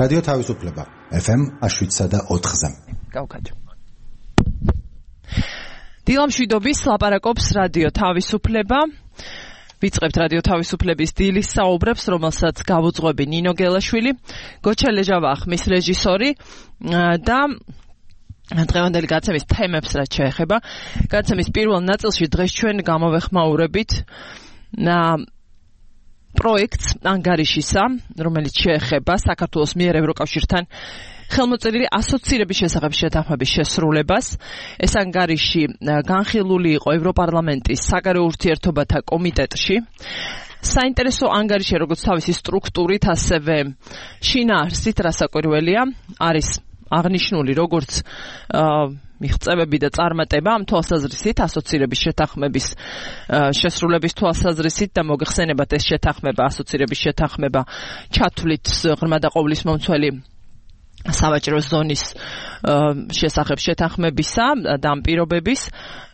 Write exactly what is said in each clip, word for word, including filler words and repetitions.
რადიო თავისუფლება ეფ ემ შვიდსა და ოთხზე. გავკეთე. დილამშვიდობის ლაპარაკობს რადიო თავისუფლება. ვიწყებთ რადიო თავისუფლების დილის საუბრებს, რომელსაც გავუძღვები ნინო გელაშვილი, გოჩა ლეჟავა ხმის რეჟისორი და დღევანდელი გადაცემის თემებს რაც შეეხება. გადაცემის პირველ ნაწილში დღეს ჩვენ გამოვეხმაურებით პროექტს ანგარიშისა, რომელიც შეეხება საქართველოს მიერ ევროკავშირთან ხელმოწერილი ასოცირების შესახებ შეთანხმების შესრულებას. ეს ანგარიში განხილული იყო ევროპარლამენტის საგარეო ურთიერთობათა კომიტეტში. საინტერესო ანგარიში, როგორც თავისი სტრუქტურით, ასევე შინაარსით, რასაკვირველია, არის აღნიშნული როგორც მიღწევები და წარმატება ამ თვალსაზრისით, ასოცირების შეთანხმების შესრულების თვალსაზრისით და მოგეხსენებათ ეს შეთანხმება, ასოცირების შეთანხმება ჩათვლით ღრმა და ყოვლისმომცველი სავაჭრო ზონის შესახებ შეთანხმებისა და ამ პირობების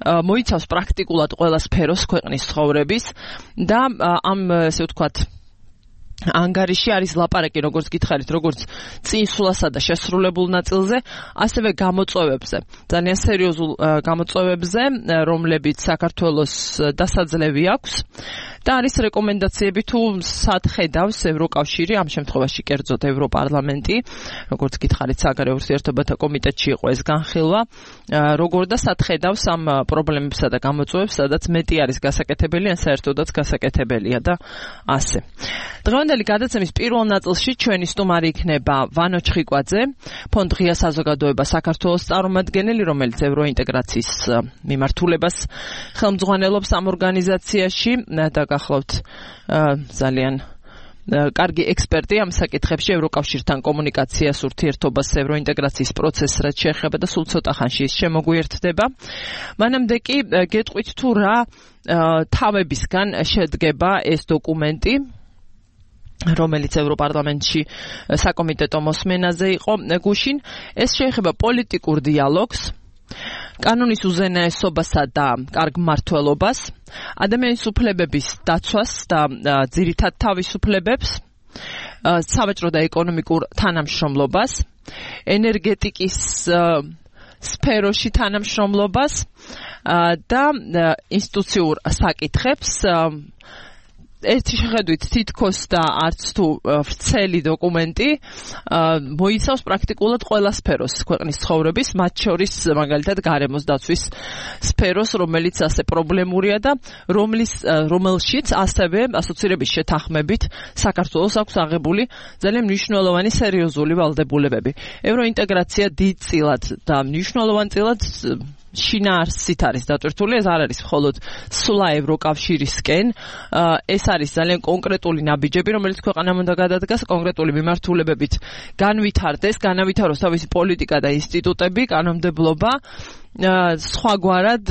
მოიცავს პრაქტიკულად ყველა სფეროს ქვეყნის ცხოვრების და ამ ესე ვთქვათ ანგარიში არის ლაპარაკი, როგორც გითხარით, როგორც წინსვლასა და შესრულებულ ნაწილზე, ასევე გამოწვევებზე, ძალიან სერიოზულ გამოწვევებზე, რომლებიც საქართველოს დასაძლევი აქვს და არის რეკომენდაციები თუ სად ხედავს ევროკავშირი, ამ შემთხვევაში კერძოდ ევროპარლამენტი, როგორც გითხარით, საგარეო ურთიერთობათა კომიტეტში იყო ეს განხილვა, როგორ და სად ხედავს ამ პრობლემებსა და გამოწვევებს, სადაც მეტი არის გასაკეთებელი, ან საერთოდაც გასაკეთებელია და ასე. დღევანდელი გადაცემის პირველ ნაწილში ჩვენი სტუმარი იქნება ვანო ჩხიკვაძე, ფონდ ღია საზოგადოება საქართველოს წარმომადგენელი, რომელიც ევროინტეგრაციის მიმართულებას ხელმძღვანელობს ამ ორგანიზაციაში და გახლავთ ძალიან კარგი ექსპერტი ამ საკითხებში, ევროკავშირთან კომუნიკაციას, ურთიერთობას, ევროინტეგრაციის პროცესს რაც შეეხება და სულ ცოტა ხანში ის შემოგვიერთდება. მანამდე კი გეტყვით თუ რა თავებისგან შედგება ეს დოკუმენტი, რომელიც ევროპარლამენტში საკომიტეტო მოსმენაზე იყო გუშინ. ეს შეეხება პოლიტიკურ დიალოგს, კანონის უზენაესობასა და კარგ მმართველობას, ადამიანის უფლებების დაცვას და ძირითად თავისუფლებებს, სავაჭრო და ეკონომიკურ თანამშრომლობას, ენერგეტიკის სფეროში თანამშრომლობას და ინსტიტუციურ საკითხებს. ერთი შეხედვით თითქოს და არც თუ ვრცელი დოკუმენტი მოიცავს პრაქტიკულად ყველა სფეროს ქვეყნის ცხოვრების, მათ შორის მაგალითად გარემოს დაცვის სფეროს, რომელიც ასე პრობლემურია და რომლის რომელშიც ასევე ასოცირების შეთანხმებით საქართველოს აქვს აღებული ძალიან მნიშვნელოვანი სერიოზული ვალდებულებები. ევროინტეგრაცია დიდწილად და მნიშვნელოვანწილად შინაარსით არის დატვირთული, ეს არ არის მხოლოდ სვლა ევროკავშირისკენ, ეს არის ძალიან კონკრეტული ნაბიჯები, რომელიც ქვეყანამ უნდა გადადგას კონკრეტული მიმართულებებით განვითარდეს, განავითაროს თავისი პოლიტიკა და ინსტიტუტები, კანონმდებლობა. სხვაგვარად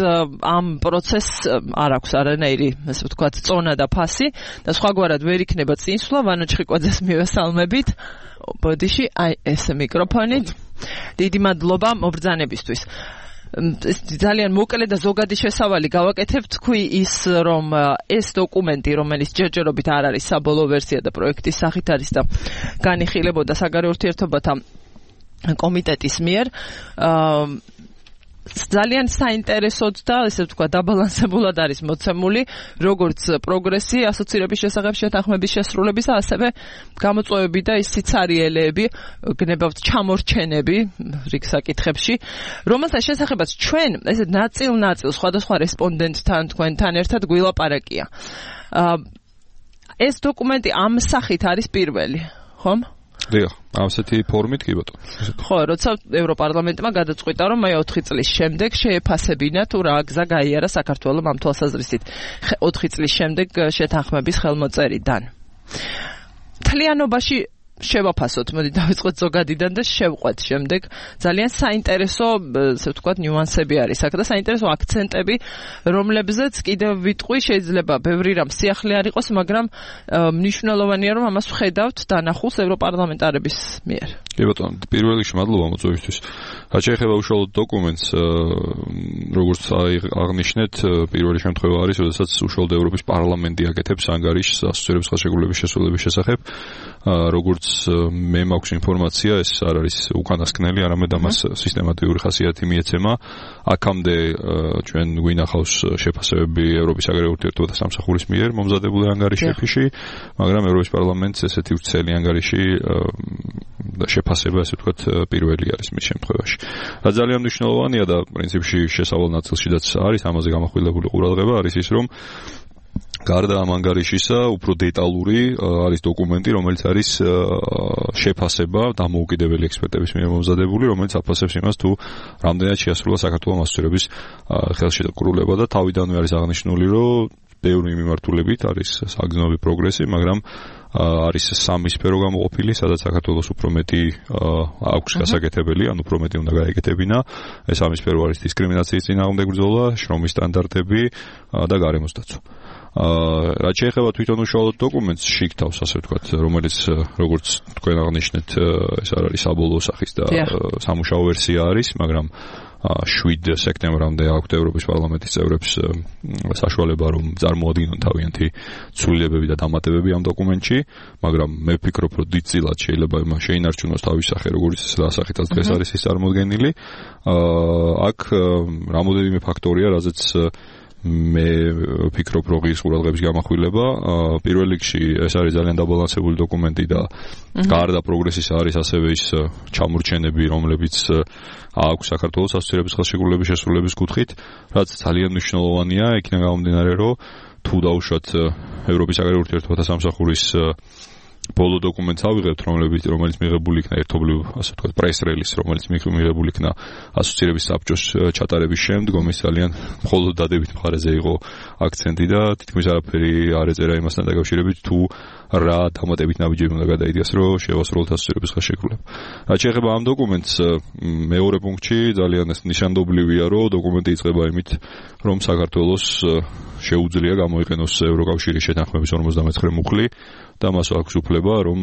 ამ პროცესს არ აქვს არანაირი, ასე ვთქვათ, წონა და ფასი და სხვაგვარად ვერ იქნება წინსვლა. ვანო ჩხიკვაძეს მივესალმებით. ბოდიში, აი ეს მიკროფონი. დიდი მადლობა მობრძანებისთვის. ძალიან მოკლე და ზოგადი შესავალი გავაკეთებ, თქვი ის, რომ ეს დოკუმენტი, რომელიც ჯერჯერობით არ არის საბოლოო ვერსია და პროექტის სახით არის და განიხილებოდა საგარეო ურთიერთობათა კომიტეტის მიერ, ძალიან საინტერესოდ და ესე ვთქვა დაბალანსებულად არის მოცემული როგორც პროგრესი ასოცირების შესახებ შეთანხმების შესრულებისა, ასევე გამოწვევები და ის სიცარიელეები, გნებავთ ჩამორჩენები რიგ საკითხებში, რომელთა შესახებაც ჩვენ ესე ნაწილ-ნაწილ სხვადასხვა რესპონდენტთან თქვენთან ერთად გვილაპარაკია. ეს დოკუმენტი ამ სახით არის პირველი, ხომ? დიახ, ასეთი ფორმით კი ბატონო. ხო, როცა ევროპარლამენტმა გადაწყვიტა, რომ აი ოთხი წლის შემდეგ შეეფასებინა თუ რა გზა გაიარა საქართველოს ამ თვალსაზრისით ოთხი წლის შემდეგ შეთანხმების ხელმოწერიდან. მთლიანობაში შევაფასოთ, მოდი დავიწყოთ ზოგადიდან და შევყვეთ შემდეგ. ძალიან საინტერესო, ასე ვთქვათ, ნიუანსები არის აქ და საინტერესო აქცენტები, რომლებზეც კიდევ ვიტყვი, შეიძლება ბევრი რამ სიახლე არ იყოს, მაგრამ მნიშვნელოვანია, რომ ამას ვხედავთ დანახულს ევროპარლამენტარების მიერ. კი ბატონო, პირველ რიგში მადლობა მოწვევისთვის. რაც შეეხება უშუალოდ დოკუმენტს, როგორც აღნიშნეთ, პირველი შემთხვევა არის, როდესაც უშუალოდ ევროპის პარლამენტი აკეთებს ანგარიშს ასოცირების ხელშეკრულების შესრულების შესახებ. როგორც მე მაქვს ინფორმაცია, ეს არ არის უკანასკნელი, არამედ ამას სისტემატიური ხასიათი მიეცემა. აქამდე ჩვენ გვინახავს შეფასებები ევროპის საგარეო ურთიერთობათა სამსახურის მიერ მომზადებული ანგარიშებში, მაგრამ ევროპის პარლამენტს ესეთი ვრცელი ანგარიში შეფასება, ასე ვთქვათ, პირველი არის მის შემთხვევაში. რაც ძალიან მნიშვნელოვანია და პრინციპში შესავალ ნაწილშიც არის ამაზე გამახვილებული ყურადღება, არის ის, რომ გარდა ამ ანგარიშისა, უფრო დეტალური არის დოკუმენტი, რომელიც არის შეფასება დამოუკიდებელი ექსპერტების მიერ მომზადებული, რომელიც აფასებს იმას, თუ რამდენად შეასრულა საქართველოს მასწავლებლების ხელში დაკრულება და თავიდანვე არის აღნიშნული, რომ ბევრი მიმართულებით არის საგრძნობი პროგრესი, მაგრამ არის სამი სფერო გამოყოფილი, სადაც საქართველოს უფრო მეტი აქვს გასაკეთებელი, ან უფრო მეტი უნდა გაეკეთებინა. ეს სამი სფერო არის დისკრიმინაციის წინააღმდეგ ბრძოლა, შრომის სტანდარტები და გარემოს დაცვა. რაც შეეხება თვითონ უშუალოდ დოკუმენტს შიგთავს, ასე ვთქვათ, რომელიც როგორც თქვენ აღნიშნეთ, ეს არ არის საბოლოო სახის და სამუშაო ვერსია არის, მაგრამ შვიდ სექტემბრამდე აქვთ ევროპის პარლამენტის წევრებს საშუალება, რომ წარმოადგინონ თავიანთი ცვლილებები და დამატებები ამ დოკუმენტში, მაგრამ მე ვფიქრობ, რომ დიდწილად შეიძლება შეინარჩუნოს თავის სახე, როგორც ასახეთაც დღეს არის ის წარმოდგენილი. აქ რამოდენიმე ფაქტორია, რაზეც მე ვფიქრობ, რომ ღირს ყურადღების გამახვილება. პირველ რიგში ეს არის ძალიან დაბალანსებული დოკუმენტი და გარდა პროგრესისა არის ასევე ის ჩამორჩენები, რომლებიც აქვს საქართველოს ასოცირების ხელშეკრულების შესრულების კუთხით, რაც ძალიან მნიშვნელოვანია, იქიდან გამომდინარე, რომ თუ დაუშვათ ევროპის საგარეო ურთიერთობათა სამსახურის ბოლო დოკუმენტს ავიღებთ, რომელიც რომელიც მიღებული იქნა ერთობლივ, ასე ვთქვათ, პრეს რელიზ, რომელიც მიღებული იქნა ასოცირების საბჭოს ჩატარების შემდგომ, ის ძალიან მხოლოდ დადებით მხარეზე იყო აქცენტი და თითქმის არაფერი არ ეწერა იმასთან დაკავშირებით, თუ რა დამატებით ნაბიჯები უნდა გადაიდიას, რომ შევასრულოთ ასოცირების ხელშეკრულება. რაც შეეხება ამ დოკუმენტს, მეორე პუნქტში ძალიან ნიშანდობლივია, რომ დოკუმენტი იწყება იმით, რომ საქართველოს შეუძლია გამოიყენოს ევროკავშირის შეთანხმების ორმოცდამეცხრე მუხლი და მას აქვს უფლება, რომ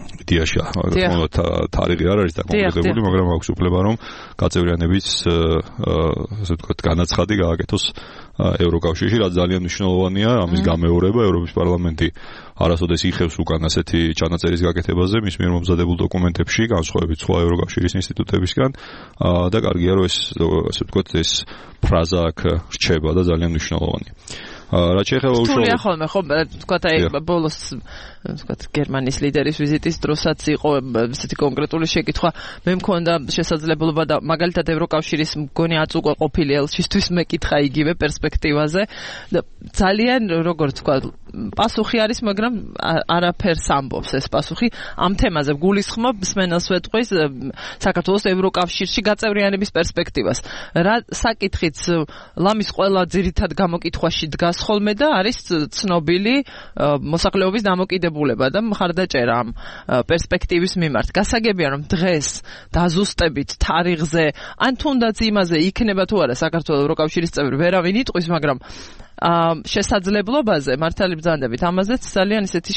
დიაში თარიღი არ არის დაკონკრეტებული, მაგრამ აქვს უფლება, რომ გაწევრიანების, ასე ვთქვათ, განაცხადი გააკეთოს ევროკავშირში, რაც ძალიან მნიშვნელოვანია. ამის გამეორება ევროპის პარლამენტი არასოდეს იხევს უკან ასეთი ჩანაწერის გაკეთებაზე მის მიერ მომზადებულ დოკუმენტებში, განსხვავებით სხვა ევროკავშირის ინსტიტუტებისგან და კარგია, რომ ეს, ასე ვთქვათ, ეს ფრაზა აქ რჩება და ძალიან მნიშვნელოვანია. რაც შეეხება უშუალოდ ხოლმე ხო ვთქვათ აი ბოლოს ვთქვათ გერმანიის ლიდერის ვიზიტის დროსაც იყო ესეთი კონკრეტული შეკითხვა, მე მქონდა შესაძლებლობა და მაგალითად ევროკავშირის მგონი აწუყვა ყოფილი ელჩისთვის მეკითხა იგივე პერსპექტივაზე და ძალიან როგორც ვთქვათ პასუხი არის, მაგრამ არაფერს ამბობს ეს პასუხი ამ თემაზე. გულისხმობს მენელს ვეტყვის საქართველოს ევროკავშირში გაწევრიანების პერსპექტივას. რა საკითხიც ლამის ყველა ძირითად გამოკითხვაში დგას ხოლმე და არის ცნობილი მოსახლეობის დამოკიდებულება და მხარდაჭერა ამ პერსპექტივის მიმართ. გასაგებია, რომ დღეს დაზუსტებით თარიღზე, ან თუნდაც იმაზე იქნება თუ არა საქართველოს ევროკავშირის წევრი, ვერავინ იტყვის, მაგრამ შესაძლებლობაზე მართალი ბრძანდებით ამაზეც ძალიან ისეთი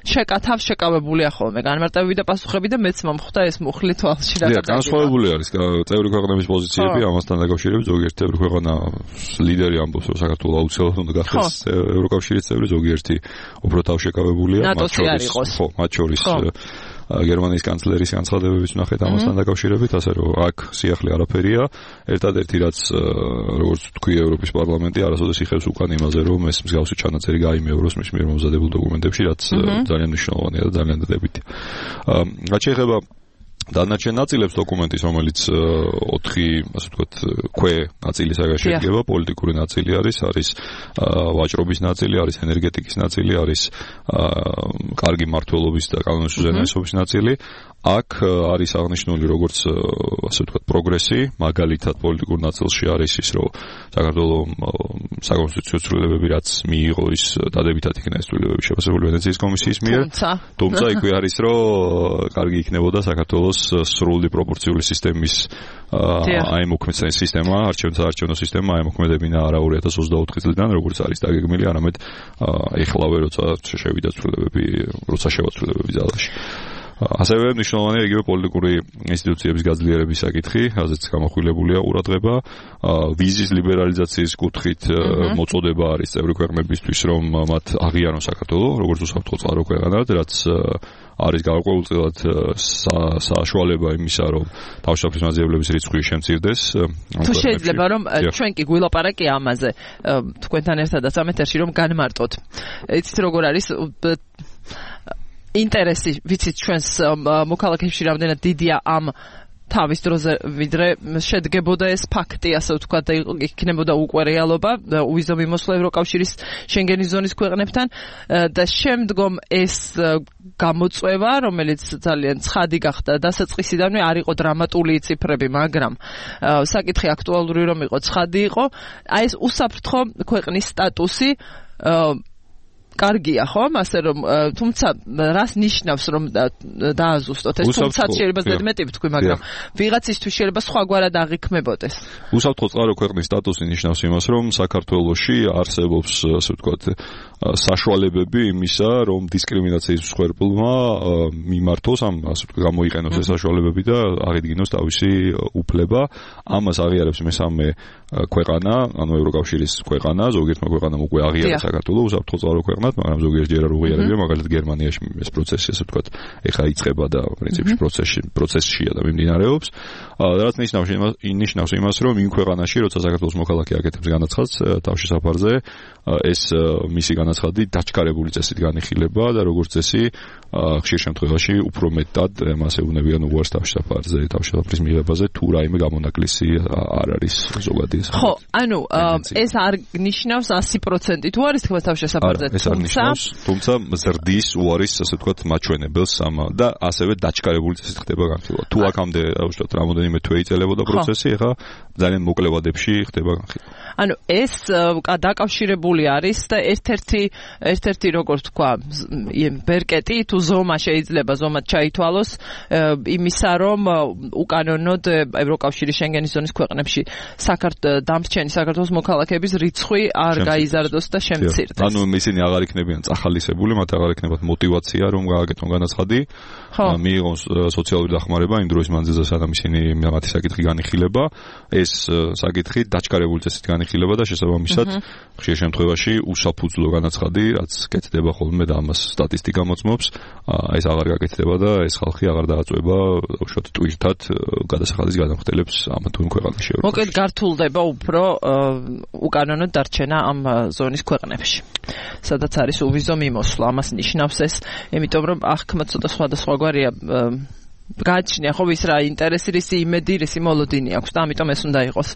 შეკათავ შეკავებულია ხოლმე განმარტებები და პასუხები და მეც მომხვდა ეს მუხლი თვალში რა. დიახ, განსხვავებული არის წევრი ქვეყნების პოზიციები ამასთან დაკავშირებით. ზოგიერთი წევრი ქვეყანა ლიდერი ამბობს, რომ საქართველოს აუცილებლად უნდა გახდეს ევროკავშირის წევრი, ზოგიერთი უფრო თავშეკავებულია, მათ შორის ხო, მათ შორის გერმანიის კანცლერის განცხადებებიც ვნახეთ ამასთან დაკავშირებით, ასე რომ აქ სიახლე არაფერია. ერთადერთი რაც როგორც თქვი ევროპის პარლამენტი არასოდეს იხევს უკან იმაზე, რომ ეს მსგავსი ჩანაწერი გაიმეოროს მის მიერ მომზადებულ დოკუმენტებში, რაც ძალიან მნიშვნელოვანია და ძალიან დადებითია. რაც შეეხება დანარჩენ ნაწილებს დოკუმენტის, რომელიც ოთხი, ასე ვთქვათ, ქვე ნაწილი საგაშეგება, პოლიტიკური ნაწილი არის, არის ვაჭრობის ნაწილი, არის ენერგეტიკის ნაწილი, არის კარგი მმართველობის და კანონის უზენაესობის ნაწილი. აქ არის აღნიშნული როგორც, ასე ვთქვათ, პროგრესი, მაგალითად პოლიტიკურ ნაწილში არის ის, რომ საქართველოს საკონსტიტუციო ცვლილებები რაც მიიღო, ის დადებითად იქნა ეს ცვლილებები შეფასებული ვენეციის კომისიის მიერ. თუმცა იქვე არის, რომ კარგი იქნებოდა საქართველოს სრული პროპორციული სისტემის აიმოქმედება სისტემა, არჩევნო სისტემა აიმოქმედებინა არა ორი ათას ოცდაოთხი წლიდან, როგორც არის დაგეგმილი, არამედ ეხლავე როცა შევიდა ცვლილებები, როცა შევა ცვლილებები ძალაში. ასევე მნიშვნელოვანია იგივე პოლიტიკური ინსტიტუციების გაძლიერების საკითხი, რაზეც გამოხვილებულია ყურადღება, ვიზის ლიბერალიზაციის კუთხით მოწოდება არის წევრი ქვეყნებისთვის, რომ მათ აღიარონ საქართველოს როგორც უსაფრთხო წყარო ქვეყანად, რაც არის გარკვეულწილად საშუალება იმისა, რომ თავშესაფრის მაძიებლების რიცხვი შემცირდეს. თუ შეიძლება რომ ჩვენ კი გვილაპარაკი ამაზე თქვენთან ერთადაც ამ ეთერში რომ განმარტოთ. იცით როგორ არის ინტერესი, ვიცით ჩვენს მოქალაქეებში რამდენად დიდია ამ თავის დროზე ვიდრე შედგებოდა ეს ფაქტი, ასე ვთქვათ, და იქნებოდა უკვე რეალობა უვიზო მიმოსვლა ევროკავშირის შენგენის ზონის ქვეყნებთან და შემდგომ ეს გამოწვევა, რომელიც ძალიან ცხადი გახდა დასაწყისიდანვე, არ იყო დრამატული ციფრები, მაგრამ საკითხი აქტუალური რომ იყო, ცხადი იყო, აი ეს უსაფრთხო ქვეყნის სტატუსი კარგია ხომ, ასე რომ თუმცა რას ნიშნავს რომ დააზუსტოთ ეს თუმცა შეიძლება ზედმეტი ვთქვი, მაგრამ ვიღაცისთვის შეიძლება სხვაგვარად აღიქმებოდეს. უსაფრთხო წყარო ქვეყნის სტატუსი ნიშნავს იმას, რომ საქართველოში არსებობს, ასე ვთქვათ, საშუალებები იმისა, რომ დისკრიმინაციის მსხვერპლმა მიმართოს, ამ ასე ვთქვათ, გამოიყენოს ეს საშუალებები და აღიდგინოს თავისი უფლება. ამას აღიარებს მესამე ქვეყანა, ანუ ევროკავშირის ქვეყანა, ზოგიერთმა ქვეყანამ უკვე აღიარა საქართველოს უსაფრთხო წყარო ქვეყნად, მაგრამ ზოგიერთ ჯერ არ უღიარებია, მაგალითად გერმანიაში ეს პროცესი, ასე ვთქვათ, ეხლა იწყება და პრინციპში პროცესში პროცესშია და მიმდინარეობს. რაც ნიშნავს ნიშნავს იმას, რომ იმ ქვეყანაში, როცა საქართველოს მოქალაქე აკეთებს განაცხადს თავშესაფარზე, ეს მისი განაცხადი დაჩქარებული წესით განიხილება და როგორც წესი ხშირ შემთხვევაში უფრო მეტად მას ეუბნებიან უარს თავშესაფარზე, თავშესაფრის მიღებაზე, თუ რაიმე გამონაკლისი არ არის ზოგადი. ხო, ანუ ეს არ ნიშნავს ასი პროცენტი თუ არის თქვა თავშესაფარზე, თუმცა თუმცა ზრდის უარის, ასე ვთქვათ, მაჩვენებელს ამ და ასევე დაჩქარებული წესით ხდება განხილვა. თუ აქამდე, უშუალოდ რამოდენიმე თვე იწელებოდა პროცესი, ეხლა ძალიან მოკლე ვადებში ხდება განხილვა. ანუ ეს დაკავშირებული არის და ერთ-ერთი ერთ-ერთი როგორც თქვა, ბერკეტი თუ ზომა შეიძლება ზომად ჩაითვალოს იმისა, რომ უკანონოდ ევროკავშირის შენგენის ზონის ქვეყნებში საქართველოს დამრჩენი საქართველოს მოქალაქეების რიცხვი არ გაიზარდოს და შემცირდეს. ანუ ისინი აღარ იქნებიან წახალისებული, მათ აღარ იქნებათ мотиваცია რომ გააკეთონ განაცხადი, მიიღონ სოციალური დახმარება იმ დროის მანძილზე, სანამ ისინი მათი საკითხი განიხილება, ეს საკითხი დაჩქარებული წესით განიხილება და შესაბამისად ხშირ შემთხვევაში უსაფუძვლო განაცხადი, რაც კეთდება ხოლმე და ამას სტატისტიკა მოწმობს, ეს აღარ გაკეთდება და ეს ხალხი აღარ დააწვევა უშუალოდ ტვირთად გადასახადის გადამხდელებს ამ თუ იმ ქვეყანაში. მოკლედ გართულდება უფრო უკანონოდ დარჩენა ამ ზონის ქვეყნებში, სადაც არის უვიზო მიმოსვლა. ამას ნიშნავს ეს, იმიტომ რომ აღქმა ცოტა სხვადასხვაგვარია გააჩნია ხო ვის რა ინტერესი, რისი იმედი, რისი მოლოდინი აქვს და ამიტომ ეს უნდა იყოს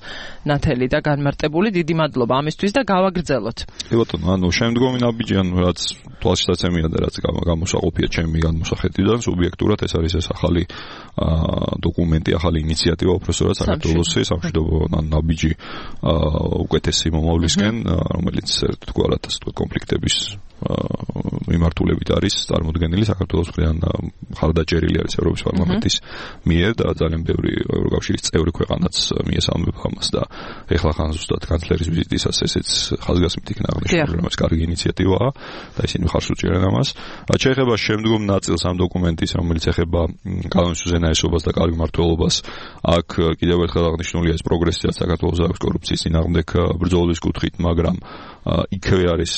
ნათელი და განმარტებული. დიდი მადლობა ამისთვის და გავაგრძელოთ. კი ბატონო, ანუ შემდგომი ნაბიჯი, ანუ რაც თვალშისაცემია და რაც გამოსაყოფია ჩემი განმოსახედიდან, სუბიექტურად ეს არის ეს ახალი დოკუმენტი, ახალი ინიციატივა უпроსტորად საქართველოსი სამშვიდობო ნაბიჯი უკეთესი მომავლისკენ, რომელიც ერთგვარად ასე ვთქვათ კონფლიქტების მიმართულებით არის წარმოდგენილი საქართველოს მხრიდან ხარდაჭერილი არის ევროპის პარლამენტის მიერ და ძალიან ბევრი ევროკავშირის წევრი ქვეყანაც მიესალმება ამას და ეხლა ხან ზუსტად კანცლერის ვიზიტისას ესეც ხაზგასმით იქნა აღნიშნული, რომ ეს კარგი ინიციატივაა და ისინი ხარს უჭერენ ამას. რაც შეეხება შემდგომ ნაწილს ამ დოკუმენტის, რომელიც ეხება კანონის უზენაესობას და კარგ მმართველობას, აქ კიდევ ერთხელ აღნიშნულია ეს პროგრესი, რაც საქართველოს აქვს კორუფციის წინააღმდეგ ბრძოლის კუთხით, მაგრამ იქვე არის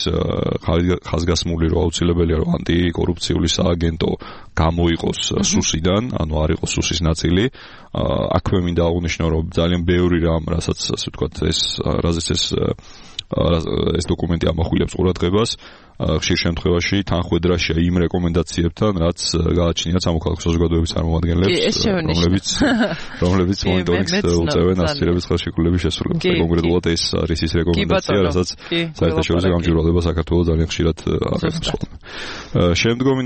ხაზგასმული, რომ აუცილებელია რომ ანტიკორუფციული სააგენტო გამოიყოს სუსიდან, ანუ არ იყოს სუსის ნაწილი. აქვე მინდა აღვნიშნო, რომ ძალიან ბევრი რამ, რასაც ასე ვთქვათ, ეს რაზეც ეს ეს დოკუმენტი ამახვილებს ყურადღებას, ხშირ შემთხვევაში თანხვედრაშია იმ რეკომენდაციებთან, რაც გააჩნიათ სამოქალაქო საზოგადოების წარმომადგენლებს, რომლებიც რომლებიც მონიტორინგს უწევენ ასოცირების ხელშეკრულების შესრულებას. კონკრეტულად ეს არის ის რეკომენდაცია, რასაც საერთაშორისო გამჭვირვალება საქართველოს ძალიან ხშირად აღნიშნავს. შემდგომი,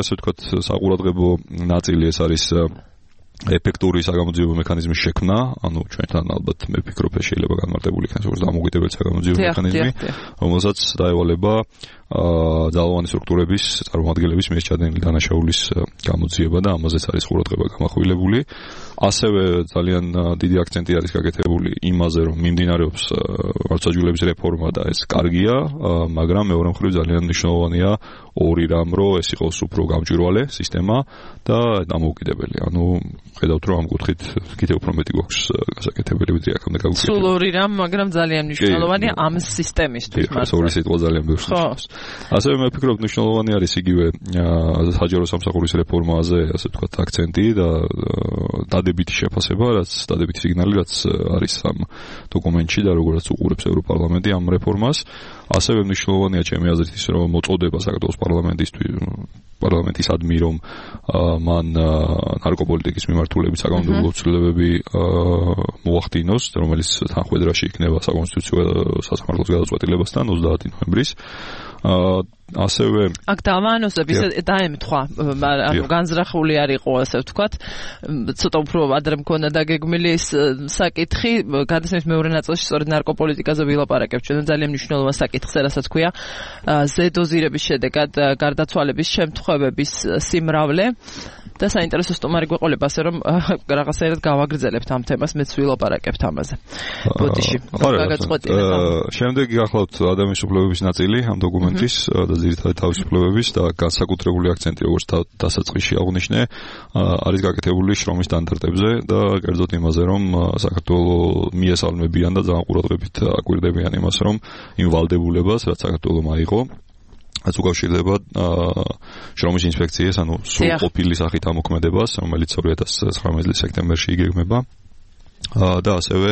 ასე ვთქვათ, საყურადღებო ნაწილი ეს არის ეფექტური საგამოძიებო მექანიზმის შექმნა, ანუ ჩვენთან ალბათ მე ვფიქრობ, შეიძლება განმარტებული იქნას როგორც დამოუკიდებელი საგამოძიებო მექანიზმი, რომელსაც დაევალება ძალოვანი სტრუქტურების წარმომადგენლების მიერ ჩადენილი დანაშაულის გამოძიება და ამაზეც არის ყურადღება გამახვილებული. ასევე ძალიან დიდი აქცენტი არის გაკეთებული იმაზე, რომ მიმდინარეობს მართლმსაჯულების რეფორმა და ეს კარგია, მაგრამ მეორე მხრივ ძალიან მნიშვნელოვანია ორი რამ, რომ ეს იყოს უფრო გამჭვირვალე სისტემა და დამოუკიდებელი. ანუ ხედავთ, რომ ამ კუთხით კიდევ უფრო მეტი გვაქვს გასაკეთებელი ვიდრე აქამდე გაგვიკეთებია. სულ ორი რამ, მაგრამ ძალიან მნიშვნელოვანია ამ სისტემისთვის მართლა. ორი სიტყვა ძალიან ბევრს ნიშნავს. ასევე მე ვფიქრობ, მნიშვნელოვანი არის იგივე საჯარო სამსახურის რეფორმაზე, ასე ვთქვათ, აქცენტი და დადებითი შეფასება, რაც დადებითი სიგნალი, რაც არის ამ დოკუმენტში და როგორაც უყურებს ევროპარლამენტი ამ რეფორმას. ასევე მნიშვნელოვანია ჩემი აზრით ის, რომ მოწოდება საქართველოს პარლამენტისთვის პარლამენტისადმი, რომ მან ნარკოპოლიტიკის მიმართულებით საკანონმდებლო ცვლილებები მოახდინოს, რომელიც თანხმედრაში იქნება საკონსტიტუციო სასამართლოს გადაწყვეტილებასთან ოცდაათი ნოემბრის. ასევე აქ დავაანონსებ ისე დაემთხვა, ანუ განზრახული არ იყო, ასე ვთქვათ, ცოტა უფრო ადრე მქონდა დაგეგმილი ეს საკითხი, გადასმის მეორე ნაწილში სწორედ ნარკოპოლიტიკაზე ვილაპარაკებ, ჩვენ ძალიან მნიშვნელოვანი საკითხზე, რასაც ქვია ზედოზირების შედეგად გარდაცვალების შემთხვევების სიმრავლე და საინტერესო სტუმარი გვეყოლება, ასე რომ რაღაცაერად გავაგრძელებთ ამ თემას, მეც ვილაპარაკებთ ამაზე. ბოდიში, გაგაწყვეტინე. შემდეგ გახლავთ ადამიანის უფლებების ნაწილი ამ დოკუმენტის და ძირითადად თავისუფლებების და განსაკუთრებული აქცენტი, როგორც დასაწყისში აღნიშნე, არის გაკეთებული შრომის სტანდარტებზე და კერძოდ იმაზე, რომ საქართველოს მიესალმებიან და ძალიან ყურადღებით აკვირდებიან იმას, რომ იმ ვალდებულებას, რაც საქართველოს აიღო, რაც უკავშირდება შრომის ინსპექციის, ანუ სრულყოფილი სახით ამოქმედებას, რომელიც ორი ათას ცხრამეტი წლის სექტემბერში იგეგმება. და ასევე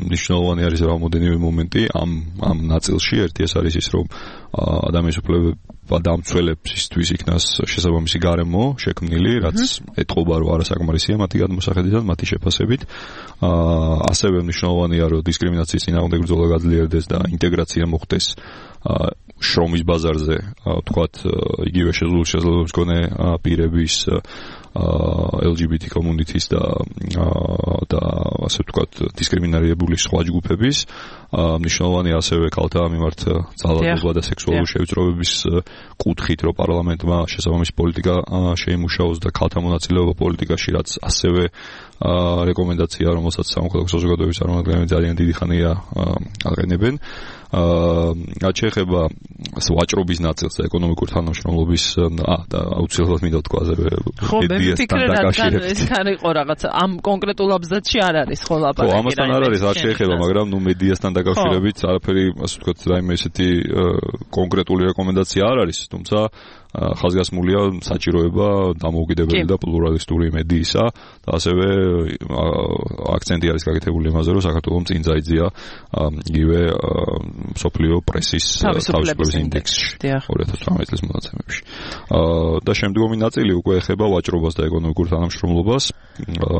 მნიშვნელოვანი არის რამოდენიმე მომენტი ამ ამ ნაწილში. ერთი ეს არის ის, რომ ადამიანის უფლებება დამცველებისთვის იქნას შესაბამისი გარემო შექმნილი, რაც ეტყობა, რომ არასაკმარისია მათი გადმოსახედიდან, მათი შეფასებით. ასევე მნიშვნელოვანია, რომ დისკრიმინაციის წინააღმდეგ ბრძოლა გაძლიერდეს და ინტეგრაცია მოხდეს შრომის ბაზარზე, თქვათ, იგივე შესაძლებლობის მქონე პირების ელ ჯი ბი თი კომუნიტის და და ასე ვთქვათ, დისკრიმინირებული სხვა ჯგუფების. მნიშვნელოვანია ასევე ქალთა მიმართ ძალადობა და სექსუალური შევიწროების კუთხით, რომ პარლამენტმა შესაბამისი პოლიტიკა შეიმუშაოს და ქალთა მონაწილეობა პოლიტიკაში, რაც ასევე რეკომენდაცია, რომელსაც სამოქალაქო საზოგადოების წარმომადგენლები ძალიან დიდი ხანია აყენებენ. რაც შეეხება ვაჭრობის ნაწილს და ეკონომიკურ თანამშრომლობის და აუცილებლად მინდა ვთქვა მედიასთან დაკავშირებით. ეს არ იყო რაღაც ამ კონკრეტულ აბზაცში არ არის ხო ლაპარაკი. ხო, ამასთან არ არის, არ შეეხება, მაგრამ ნუ მედიასთან დაკავშირებით არაფერი, ასე ვთქვათ, რაიმე ესეთი კონკრეტული რეკომენდაცია არ არის, თუმცა ხაზგასმულია საჭიროება დამოუკიდებელი და პლურალისტური მედიისა და ასევე აქცენტი არის გაკეთებული იმაზე, რომ საქართველოს წინ წაიძია იგივე მსოფლიო პრესის თავისუფლების ინდექსში ორი ათას ცხრამეტი წლის მონაცემებში. და შემდგომი ნაწილი უკვე ეხება ვაჭრობას და ეკონომიკურ თანამშრომლობას,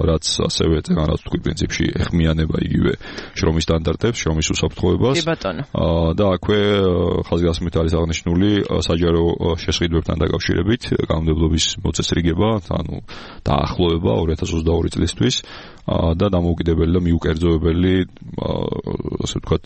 რაც ასევე წეგანაც თქვი პრინციპში ეხმიანება იგივე შრომის სტანდარტებს, შრომის უსაფრთხოებას. და აქვე ხაზგასმით არის აღნიშნული საჯარო შესყიდვებთან დაკავშირებით კანონმდებლობის მოწესრიგება, ანუ დაახლოება ორი ათას ოცდაორი წლისთვის და დამოუკიდებელი და მიუკერძოებელი, ასე ვთქვათ,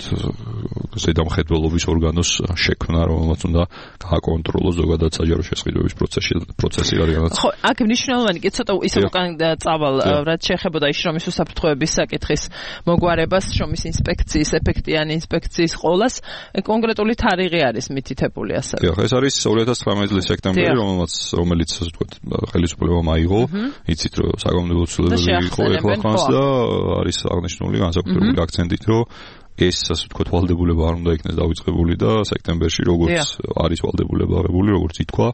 ზედამხედველობის ორგანოს შექმნა, რომელმაც უნდა გააკონტროლოს ზოგადად საჯარო შესყიდვების პროცესი პროცესი რადგანაც. ხო, აქ მნიშვნელოვანი კი ცოტა ისე უკან წავალ, რაც შეეხებოდა შრომის უსაფრთხოების საკითხის მოგვარებას, შრომის ინსპექციის, ეფექტიანი ინსპექციის ყოლას, კონკრეტული თარიღი არის მითითებული ასე. დიახ, ეს არის ორი ათას ცხრამეტი წლის სექტემბერი, რომელმაც რომელიც ასე ვთქვათ, ხელისუფლებამ აიღო, იცით რომ საკანონმდებლო ცვლილებები იყო ეხლა ხანს და არის აღნიშნული განსაკუთრებული აქცენტით, რომ ეს ასე ვთქვათ ვალდებულება არ უნდა იქნეს დავიწყებული და სექტემბერში როგორც არის ვალდებულება აღებული, როგორც ითქვა,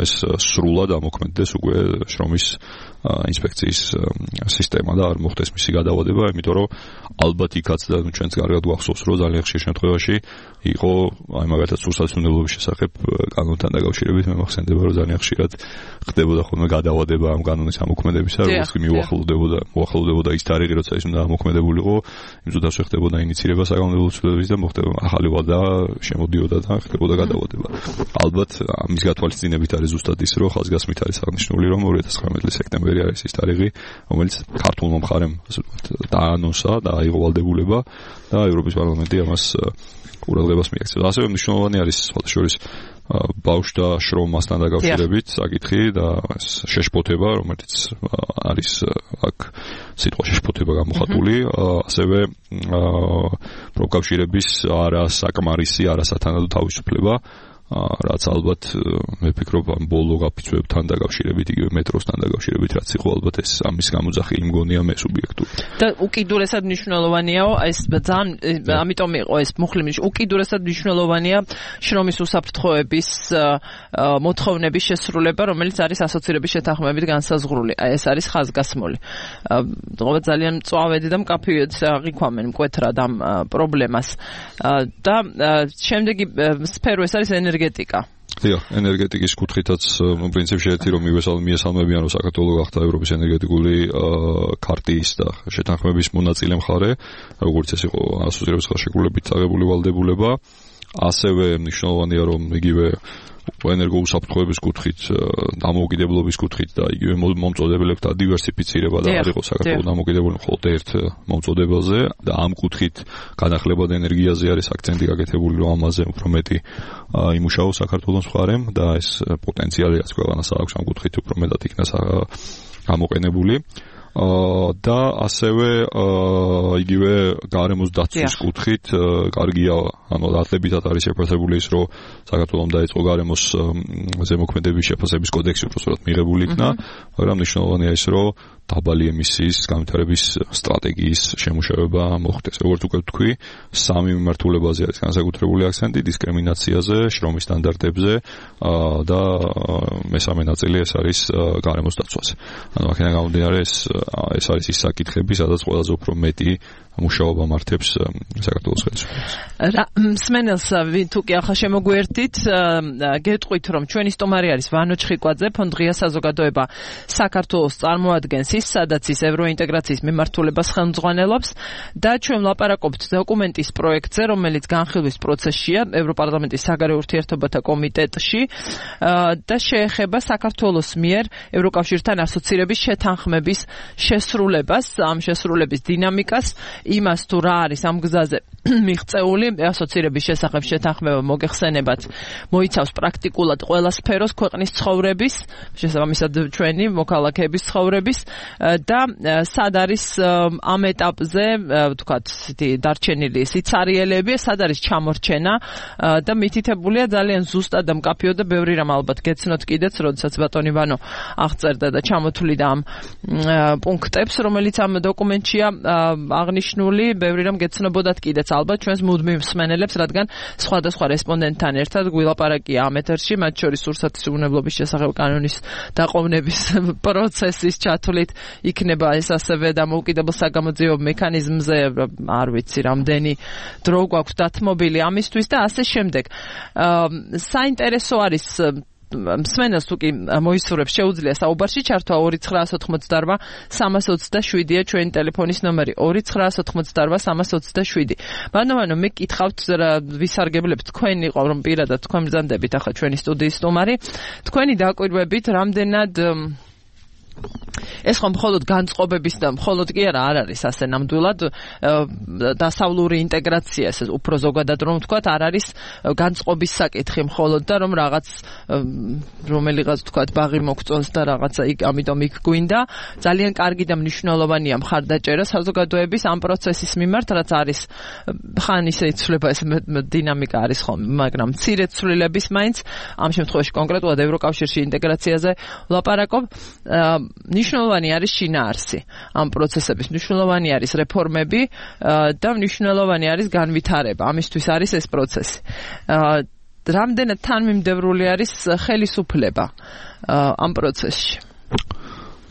ეს სრულად ამოქმედდეს უკვე შრომის ინსპექციის სისტემა და არ მოხდეს მისი გადავადება, იმიტომ რომ ალბათ იქაც და ჩვენც კარგად გვახსოვს, რომ ძალიან ხშირ შემთხვევაში იყო აი მაგალითად სურსათმდებლობის შესახებ კანონთან დაკავშირებით მე მახსენდება, რომ ძალიან ხშირად ხდებოდა ხოლმე გადავადება ამ კანონის ამოქმედებისა, როგორც კი მიუახლოვდებოდა, მოახლოვდებოდა ის თარიღი, როცა ის უნდა ამოქმედებულიყო, იმ წუთას ხდებოდა ინიცირება საკანონმდებლო ცვლილებების და მოხდება ახალი ვადა შემოდიოდა და ხდებოდა გადავადება. ალბათ ამის გათვალისწინებით არის ზუსტად ის, რომ ხაზგასმით არის აღნიშნული, რომ ორი ათას ცხრამეტი წლის სექტემბერი არის ის თარიღი, რომელიც ქართულმა მხარემ ასე ვთქვათ დაანონსა და აიღო ვალდებულება და ევროპის პარლამენტი ამას ყურადღებას მიაქცევს. ასევე მნიშვნელოვანი არის სხვადასხვა ბავშვთა შრომასთან დაკავშირებით საკითხი და შეშფოთება, რომელიც არის აქ სიტყვა შეშფოთება გამოხატული, ასევე პროფკავშირების არასაკმარისი, არასათანადო თავისუფლება, რაც ალბათ მე ვფიქრობ ამ ბოლო გაფიცვებთან დაკავშირებით, იგივე მეტროსთან დაკავშირებით, რაც იყო ალბათ ეს ამის გამოძახილი მგონია მე სუბიექტური. და უკიდურესად მნიშვნელოვანიაო, ეს ძალიან ამიტომ იყო ეს მუხლიმი, უკიდურესად მნიშვნელოვანია შრომის უსაფრთხოების მოთხოვნების შესრულება, რომელიც არის ასოცირების შეთანხმებით განსაზღვრული. აი ეს არის ხაზგასმული. თუმცა ძალიან მწვავედი და მკაფიოდ აღიქვამენ მკვეთრად ამ პრობლემას. და შემდეგი სფერო ეს არის ენერგეტიკა. დიახ, ენერგეტიკის კუთხითაც პრინციპში ერთი რომ მიესალმებიან, რომ საქართველო გახდა ევროპის ენერგეტიკული ქარტიის და შეთანხმების მონაწილე მხარე, როგორც ეს იყო ასოცირების ხელშეკრულებით აღებული ვალდებულება. ასევე მნიშვნელოვანია, რომ იგივე ენერგოუსაფრთხოების კუთხით, დამოუკიდებლობის კუთხით და იგივე მომწოდებლებთა დივერსიფიცირება და არ იყოს საქართველო დამოუკიდებელი მხოლოდ ერთ მომწოდებელზე და ამ კუთხით განახლება და ენერგიაზე არის აქცენტი გაკეთებული, რომ ამაზე უფრო მეტი იმუშაოს საქართველოს მხარემ და ეს პოტენციალი რაც ქვეყანას აქვს ამ კუთხით უფრო მეტად იქნა გამოყენებული. და ასევე იგივე გარემოს დაცვის კუთხით კარგია, ანუ დათლებითად არის შეფასებული ის, რომ საქართველომ დაიწყო გარემოს ზემოქმედების შეფასების კოდექსი უბრალოდ მიღებული იქნა, მაგრამ მნიშვნელოვანია ის, რომ დაბალი ემისიის განვითარების სტრატეგიის შემუშავება მოხდეს. როგორც უკვე ვთქვი, სამი მიმართულებაზე არის განსაკუთრებული აქცენტი: დისკრიმინაციაზე, შრომის სტანდარტებზე და მესამე ნაწილი ეს არის გარემოს დაცვაზე. ანუ აქედან გამომდინარე ეს ეს არის ის საკითხები, სადაც ყველაზე უფრო მეტი მუშაობა მართებს საქართველოს ხელისუფლებას. მსმენელს თუ კი ახლა შემოგვერთით, გეტყვით, რომ ჩვენი სტუმარი არის ვანო ჩხიკვაძე, ფონდ ღია საზოგადოება საქართველოს წარმოადგენს ის, სადაც ის ევროინტეგრაციის მიმართულებას ხელმძღვანელობს და ჩვენ ვლაპარაკობთ დოკუმენტის პროექტზე, რომელიც განხილვის პროცესშია ევროპარლამენტის საგარეო ურთიერთობათა კომიტეტში და შეეხება საქართველოს მიერ ევროკავშირთან ასოცირების შეთანხმების შესრულებას, ამ შესრულების დინამიკას, იმას თუ რა არის ამ გზაზე მიღწეული ასოცირების შესახებ შეთანხმება მოგეხსენებათ, მოიცავს პრაქტიკულად ყველა სფეროს ქვეყნის ცხოვრების, შესაბამისად ჩვენი მოქალაქეების ცხოვრების და სად არის ამ ეტაპზე, ვთქვათ, დარჩენილი სიცარიელები, სად არის ჩამორჩენა და მითითებულია ძალიან ზუსტად და მკაფიოდ და ბევრი რამ ალბათ გეცნოთ კიდეც, როდესაც ბატონი ვანო აღწერდა და ჩამოთვლიდა ამ პუნქტებს, რომელიც ამ დოკუმენტშია აღნიშნული, ბევრი რამ გეცნობოდათ კიდეც ალბათ ჩვენს მუდმივ მსმენელებს, რადგან სხვადასხვა რესპონდენტთან ერთად გვილაპარაკია ამ ეთერში, მათ შორის სურსათის უვნებლობის შესახებ კანონის დაყოვნების პროცესის ჩათვლით იქნება ეს ასევე დამოუკიდებელ საგამოძიებო მექანიზმზე, არ ვიცი რამდენი დრო გვაქვს დათმობილი ამისთვის და ასე შემდეგ. საინტერესო არის მსმენელს თუ კი მოისურვებს შეუძლია საუბარში ჩართვა ორი ცხრაას ოთხმოცდაორვა სამას ოცდაშვიდია ჩვენი ტელეფონის ნომერი ორი ცხრაას ოთხმოცდაორვა სამას ოცდაშვიდი. ბანოვანო მე გითხავთ ვისარგებლებთ თქვენი ყო რომ პირადად თქვენ ბრძანდებით ახლა ჩვენი სტუდიის სტუმარი, თქვენი დაკვირვებით რამდენად ეს ხომ მხოლოდ განწყობების და მხოლოდ კი არა არ არის ასე ნამდვილად დასავლური ინტეგრაცია, ეს უფრო ზოგადად რომ ვთქვათ, არ არის განწყობის საკითხი მხოლოდ და რომ რაღაც რომელიღაც ვთქვათ ბაღი მოგწონს და რაღაცა იქ ამიტომ იქ გვინდა. ძალიან კარგი და მნიშვნელოვანია მხარდაჭერა საზოგადოების ამ პროცესის მიმართ, რაც არის ხან ისე იცვლება ეს დინამიკა არის ხომ, მაგრამ მცირე ცვლილების მაინც ამ შემთხვევაში კონკრეტულად ევროკავშირში ინტეგრაციაზე ვლაპარაკობ. მნიშვნელოვანი არის შინაარსი ამ პროცესების, მნიშვნელოვანი არის რეფორმები და მნიშვნელოვანი არის განვითარება. ამისთვის არის ეს პროცესი. რამდენად თანმიმდევრული არის ხელისუფლება ამ პროცესში?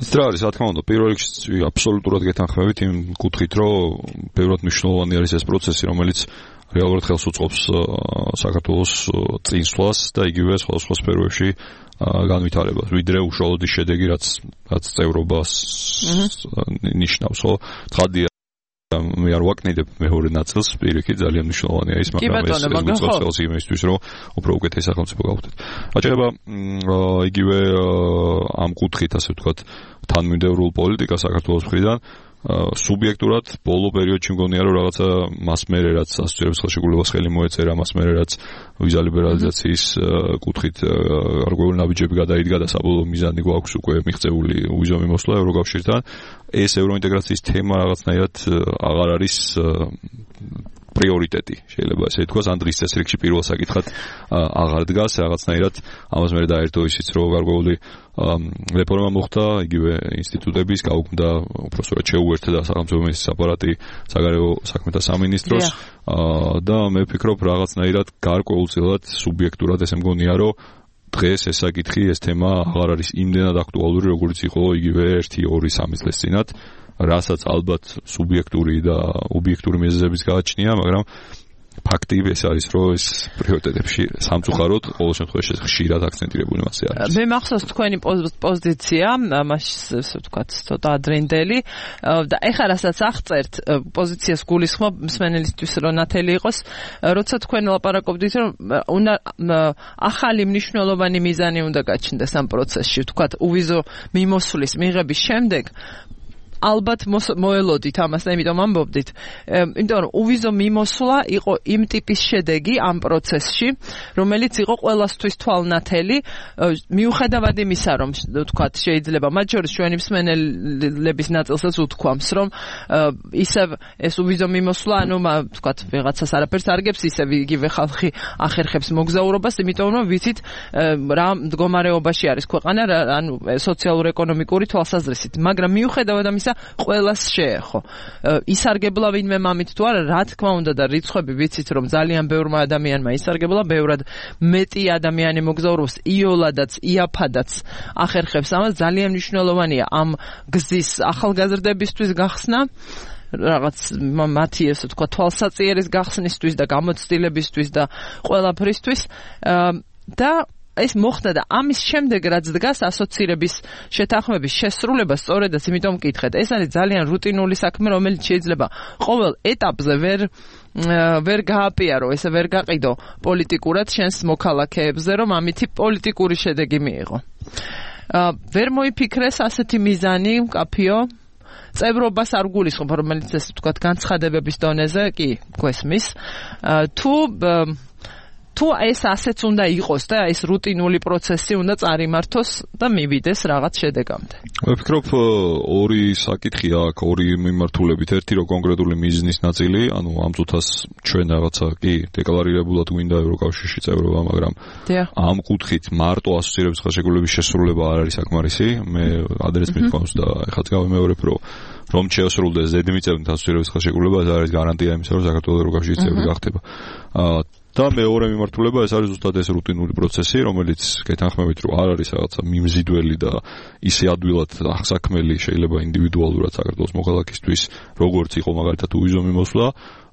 ის რა არის, რა თქმა უნდა, პირველ რიგში აბსოლუტურად გეთანხმებით იმ კუთხით, რომ ბევრად მნიშვნელოვანი არის ეს პროცესი, რომელიც რეალურად ხელს უწყობს საქართველოს წინსვლას და იგივე სხვადასხვა სფეროებში განვითარებას, ვიდრე უშუალოდ ის შედეგი, რაც რაც წევრობას ნიშნავს, ხო? ცხადია, მე არ ვაკნიდებ მეორე ნაწილს, პირიქით ძალიან მნიშვნელოვანია ის, მაგრამ ეს უწყობს ხელს იმისთვის, რომ უფრო უკეთესი სახელმწიფო გავხდეთ. აჩება იგივე ამ კუთხით, ასე ვთქვათ, თანმიმდევრულ პოლიტიკას საქართველოს მხრიდან სუბიექტურად ბოლო პერიოდში მგონია რომ რაღაცა მას მერე რაც ასოციაციების ხელშეკრულებას ხელი მოეწერა, მას მერე რაც ვიზა ლიბერალიზაციის კუთხით გარკვეული ნაბიჯები გადაიდგა და საბოლოო მიზანი გვაქვს უკვე მიღწეული ვიზო მიმოსვლა ევროკავშირთან. ეს ევროინტეგრაციის თემა რაღაცნაირად აღარ არის პრიორიტეტი, შეიძლება ესე ითქვას, ან დღის წესრიგში პირველ საკითხად აღარ დგას, რაღაცნაირად ამას მერე დაერთო ისიც, რომ გარკვეული რეფორმა მოხდა, იგივე ინსტიტუტების გაუქმდა, უბრალოდ შეუერთდა სახელმწიფო მინისტრის აპარატი საგარეო საქმეთა სამინისტროს და მე ვფიქრობ, რაღაცნაირად გარკვეულწილად სუბიექტურად ესე მგონია, რომ დღეს ეს საკითხი, ეს თემა აღარ არის იმდენად აქტუალური, როგორც იყო იგივე ერთი, ორი, სამი წლის წინათ. რასაც ალბათ სუბიექტური და ობიექტური მიზეზების გააჩნია, მაგრამ ფაქტი ეს არის, რომ ეს პრიორიტეტებში სამწუხაროდ ყოველ შემთხვევაში ხშირად აქცენტირებული მასე არის. მე მახსოვს თქვენი პოზიცია, მაშინ ასე ვთქვათ, ცოტა ადრინდელი და ეხლა რასაც აღწერთ პოზიციას გულისხმობ მსმენელისთვის რომ ნათელი იყოს, როცა თქვენ ლაპარაკობდით, რომ უნდა ახალი მნიშვნელოვანი მიზანი უნდა გაჩნდეს ამ პროცესში, ვთქვათ, უვიზო მიმოსვლის მიღების შემდეგ ალბათ მოელოდით ამას და იმიტომ ამბობდით, იმიტომ რომ უვიზო მიმოსვლა იყო იმ ტიპის შედეგი ამ პროცესში, რომელიც იყო ყველასთვის თვალნათელი, მიუხედავად იმისა, რომ ვთქვათ, შეიძლება მათ შორის ჩვენი მსმენელების ნაწილსაც უთქვამს, რომ ისევ ეს უვიზო მიმოსვლა, ანუ ვთქვათ, ვიღაცას არაფერს არ გებს, ისევ იგივე ხალხი ახერხებს მოგზაურობას, იმიტომ რომ ვიცით რა მდგომარეობაში არის ქვეყანა, ანუ სოციალურ-ეკონომიკური თვალსაზრისით, მაგრამ მიუხედავად ამისა ყველას შეეხო. ისარგებლა ვინმე მამით თუ არა, რა თქმა უნდა და რიცხვები ვიცით, რომ ძალიან ბევრმა ადამიანმა ისარგებლა, ბევრად მეტი ადამიანი მოგზაურობს, იოლადაც, იაფადაც ახერხებს ამას, ძალიან მნიშვნელოვანია ამ გზის ახალგაზრდებისთვის გახსნა, რაღაც მათი ესე თქვა თვალსაწიერის გახსნისთვის და გამოცდილებისთვის და ყველაფრისთვის და ეს მოხდა და ამის შემდეგ რაც დგას ასოცირების შეთანხმების შესრულება სწორედაც იმიტომ მკითხეთ. ეს არის ძალიან რუტინული საქმე, რომელიც შეიძლება ყოველ ეტაპზე ვერ ვერ გააპიარო, ესე ვერ გაყიდო პოლიტიკურად შენს მოქალაქეებზე, რომ ამითი პოლიტიკური შედეგი მიიღო. ვერ მოიფიქრეს ასეთი მიზანი, მკაფიო წევრობას არ გულისხმობ, რომელიც ესე ვთქვათ განცხადებების დონეზე კი გვესმის, თუ თუ ეს ასეც უნდა იყოს და ეს რუტინული პროცესი უნდა წარიმართოს და მივიდეს რაღაც შედეგამდე. მე ვფიქრობ ორი საკითხი აქვს, ორი მიმართულებით. ერთი რო კონკრეტული მიზნის ნაწილი, ანუ ამ წუთას ჩვენ რაღაცა კი დეკლარირებულად გვინდა ევროკავშირში წევრობა, მაგრამ ამ კუთხით მარტო ასოცირების ხელშეკრულების შესრულება არ არის საკმარისი. მე ადრეს მithქვამს და ეხლაც გავიმეორებ, რომ რომ შეასრულდეს ზედმიწევნით ასოცირების ხელშეკრულება, ეს არის გარანტია იმისა, რომ საქართველოს ევროკავშირის წევრი გახდება. და მეორე მიმართულება ეს არის ზუსტად ეს რუტინული პროცესი, რომელიც გეთანხმებით, რომ არ არის რაღაცა მიმზიდველი და ისე ადვილად აღსაქმელი შეიძლება ინდივიდუალურად საქართველოს მოქალაქისთვის, როგორც იყო მაგალითად უვიზო მიმოსვლა.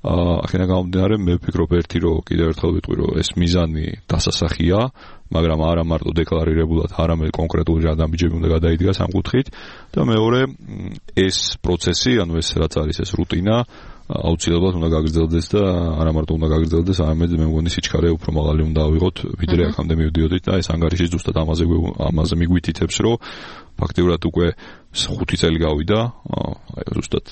ახლა გამომდინარე, მე ვფიქრობ ერთი, რომ კიდევ ერთხელ ვიტყვი, რომ ეს მიზანი დასასახია, მაგრამ არა მარტო დეკლარირებულად, არამედ კონკრეტული ნაბიჯები უნდა გადაიდგას ამ კუთხით და მეორე ეს პროცესი, ანუ ეს რაც არის ეს რუტინა აუცილებლად უნდა გაგრძელდეს და არა მარტო უნდა გაგრძელდეს, არამედ მე მგონი სიჩქარე უფრო მაღალი უნდა ავიღოთ, ვიდრე აქამდე მივდიოდით და ეს ანგარიში ზუსტად ამაზე ამაზე მიგვითითებს, რომ ფაქტიურად უკვე ხუთი წელი გავიდა, აი ზუსტად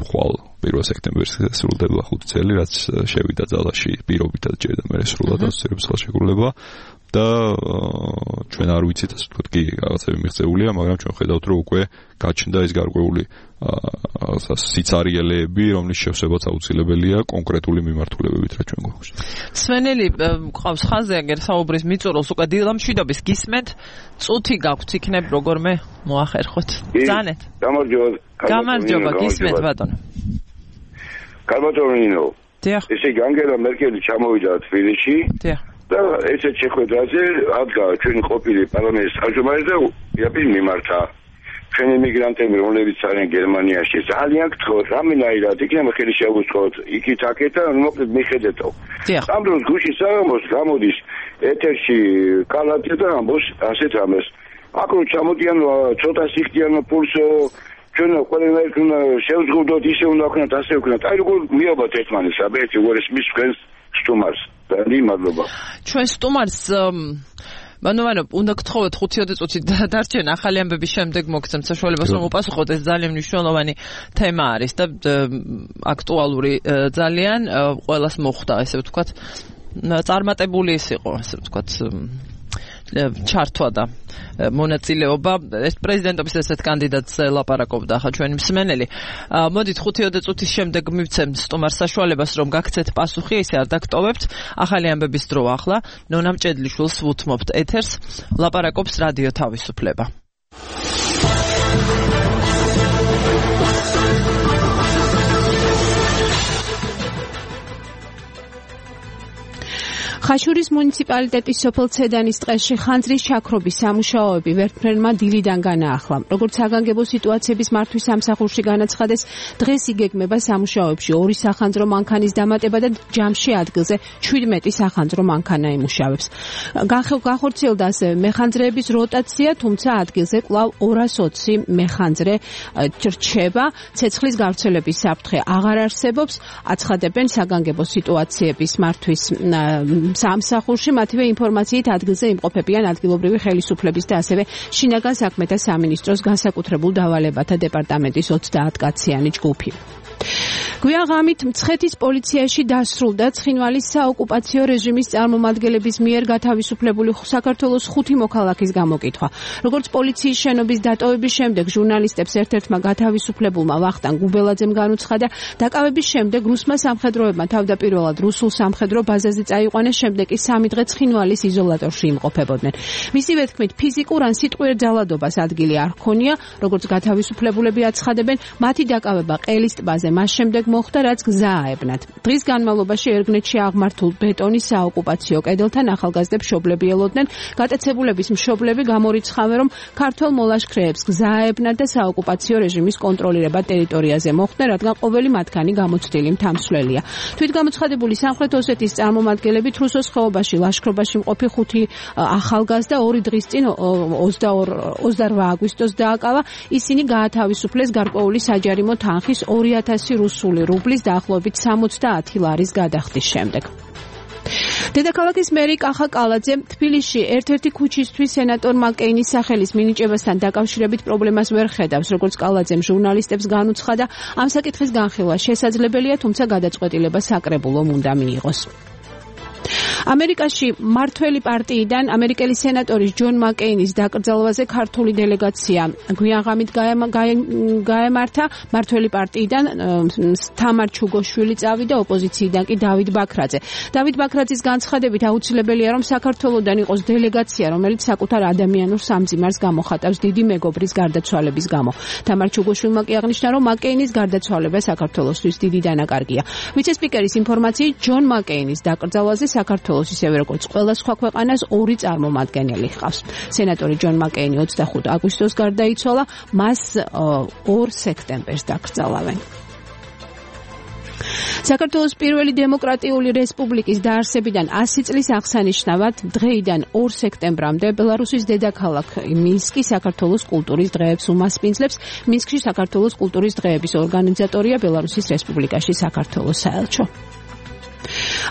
ხვალ პირველ სექტემბერს სრულდება ხუთი წელი, რაც შევიდა ძალაში პირობითად ჯერ და მე სრულად ასოცირების ხელშეკრულება და ჩვენ არ ვიცით ასე ვთქვათ, კი რაღაცები მიღწეულია, მაგრამ ჩვენ ხედავთ, რომ უკვე გაჩნდა ეს გარკვეული სიცარიელეები, რომლის შევსებაც აუცილებელია კონკრეტული მიმართულებებით, რა ჩვენ გვაქვს. სვენელი ყავს ხაზზე, აგერ საუბრის მიწურულს უკვე დილამშვიდობის გისმენთ, წუთი გაქვთ, იქნებ როგორმე მოახერხოთ. ბრძანეთ. გამარჯობა. გამარჯობა, გისმენთ ბატონო. გამარჯობა. დიახ. ესე განგელა მერკელი ჩამოვიდა თბილისში. დიახ. და ესე შეხვედრაზე ადგა ჩვენი ყოფილი პარლამენტის თავმჯდომარე და იაფი მიმართა. ჩვენი იმიგრანტები, რომლებიც არიან გერმანიაში, ძალიან გთხოვთ, რამენაირად იქნება ხელი შეგვიწყოთ, იქით აქეთ და მოკლედ მიხედეთო. ამ დროს გუშინ საღამოს გამოდის ეთერში კალათი და ამბობს ასეთ რამეს. აკრო ჩამოდიან ცოტა სიხდიან პულს ჩვენ ყველანაირ უნდა შევზღუდოთ, ისე უნდა ვქნათ, ასე ვქნათ. აი როგორ მიაბათ ერთმანეთს, აბეთი უერეს მის თქვენს სტუმარს. და მადლობა. ჩვენ სტუმარს ანუ ანუ უნდა გთხოვოთ ხუთი წუთი დარჩენ ახალი ამბების შემდეგ მოგცემთ საშუალებას რომ უპასუხოთ ეს ძალიან მნიშვნელოვანი თემა არის და აქტუალური ძალიან ყველას მოხვდა ესე ვთქვათ წარმატებული ის იყო ესე ვთქვათ ჩართვა და მონაწილეობა ეს პრეზიდენტობის ესეთ კანდიდატს ლაპარაკობდა ახლა ჩვენი მსმენელი. მოდით ხუთი წუთის შემდეგ მივცემ სტუმარს საშუალებას რომ გაგცეთ პასუხი, ისე არ დაგტოვებთ. ახალი ამბების დრო ახლა ნონა მჭედლიშვილს ვუთმობთ ეთერს, ლაპარაკობს რადიო თავისუფლება. ხაშურის მუნიციპალიტეტის სოფელ ცედანის ტყეში ხანძრის ჩაქრობის სამუშაოები ვერტმფრენმა დილიდან განაახლა. როგორც საგანგებო სიტუაციების მართვის სამსახურში განაცხადეს, დღეს იგეგმება სამუშაოებში ორი სახანძრო მანქანის დამატება და ჯამში ადგილზე შვიდმეტი სახანძრო მანქანა იმუშავებს. განხორციელდა ასევე მეხანძრეების როტაცია, თუმცა ადგილზე კვლავ ორას ოცი მეხანძრე რჩება. ცეცხლის გავრცელების საფრთხე აღარ არსებობს, აცხადებენ საგანგებო სიტუაციების მართვის სამსახურში. მათივე ინფორმაციით ადგილზე იმყოფებიან ადგილობრივი ხელისუფლების და ასევე შინაგან საქმეთა სამინისტროს განსაკუთრებულ დავალებათა დეპარტამენტის ოცდაათკაციანი ჯგუფი. გვიან ღამით მცხეთის პოლიციაში დასრულდა ცხინვალის საოკუპაციო რეჟიმის წარმომადგენლების მიერ გათავისუფლებული საქართველოს ხუთი მოქალაქის გამოკითხვა. როგორც პოლიციის შენობის დატოვების შემდეგ ჟურნალისტებს ერთ-ერთმა გათავისუფლებულმა ვახტანგ გუბელაძემ განუცხადა, დაკავების შემდეგ რუსმა სამხედროებმა თავდაპირველად რუსულ სამხედრო ბაზაზე წაიყვანეს, შემდეგ კი სამი დღე ცხინვალის იზოლატორში იმყოფებოდნენ. მისივე თქმით, ფიზიკურ ან სიტყვიერ ძალადობას ადგილი არ ჰქონია, როგორც გათავისუფლებულები აცხადებენ, მათი დაკავება ყელის ტბაზე მას შემდეგ მოხდა, რაც გზა აებნათ. დღის განმავლობაში ერგნეთში აღმართულ ბეტონის საოკუპაციო კედელთან ახალგაზრდებს მშობლები ელოდნენ. გატაცებულების მშობლები გამორიცხავენ, რომ ქართველ მოლაშქრეებს გზა აებნათ და საოკუპაციო რეჟიმის კონტროლირება ტერიტორიაზე მოხდნენ, რადგან ყოველი მათგანი გამოცდილი მთამსვლელია. თვითგამოცხადებული სამხრეთ ოსეთის წარმომადგენლებით რუსოს ხეობაში ლაშქრობაში მყოფი ხუთი ახალგაზრდა ორი დღის წინ ოცდაორ აგვისტოს დააკავა. ისინი გაათავისუფლეს გარკვეული საჯარიმო თანხის ორი ათასი რუსული რუბლის დაახლოებით სამოცდაათი ლარის გადახდის შემდეგ. დედაქალაქის მერი კახა კალაძე თბილისში ერთ-ერთი ქუჩისთვის სენატორ მაკეინის სახელის მინიჭებასთან დაკავშირებით პრობლემას ვერ ხედავს. როგორც კალაძემ ჟურნალისტებს განუცხადა, ამ საკითხის განხილვა შესაძლებელია, თუმცა გადაწყვეტილება საკრებულომ უნდა მიიღოს. ამერიკაში მართველი პარტიიდან ამერიკელი სენატორის ჯონ მაკეინის დაკრძალვაზე ქართული დელეგაცია გვიანღამით გაემართა. მართველი პარტიიდან თამარ ჩუგოშვილი წავიდა, ოპოზიციიდან კი დავით ბაქრაძე. დავით ბაქრაძის განცხადებით აუცილებელია, რომ საქართველოდან იყოს დელეგაცია, რომელიც საკუთარ ადამიანურ სამძიმარს გამოხატავს დიდი მეგობრის გარდაცვალების გამო. თამარ ჩუგოშვილმა კი აღნიშნა, რომ მაკეინის გარდაცვალება საქართველოსთვის დიდი დანაკარგია. ვიცე-სპიკერის ინფორმაციით, ჯონ მაკეინის დაკრძალვაზე საქართველოს ისევე როგორც ყველა სხვა ქვეყანას ორი წარმომადგენელი ჰყავს. სენატორი ჯონ მაკეინი ოცდახუთ აგვისტოს გარდაიცვალა, მას ორ სექტემბერს დაკრძალავენ. საქართველოს პირველი დემოკრატიული რესპუბლიკის დაარსებიდან ასი წლის აღსანიშნავად დღეიდან ორ სექტემბრამდე ბელარუსის დედაქალაქ მინსკი საქართველოს კულტურის დღეებს უმასპინძლებს. მინსკში საქართველოს კულტურის დღეების ორგანიზატორია ბელარუსის რესპუბლიკაში საქართველოს საელჩო.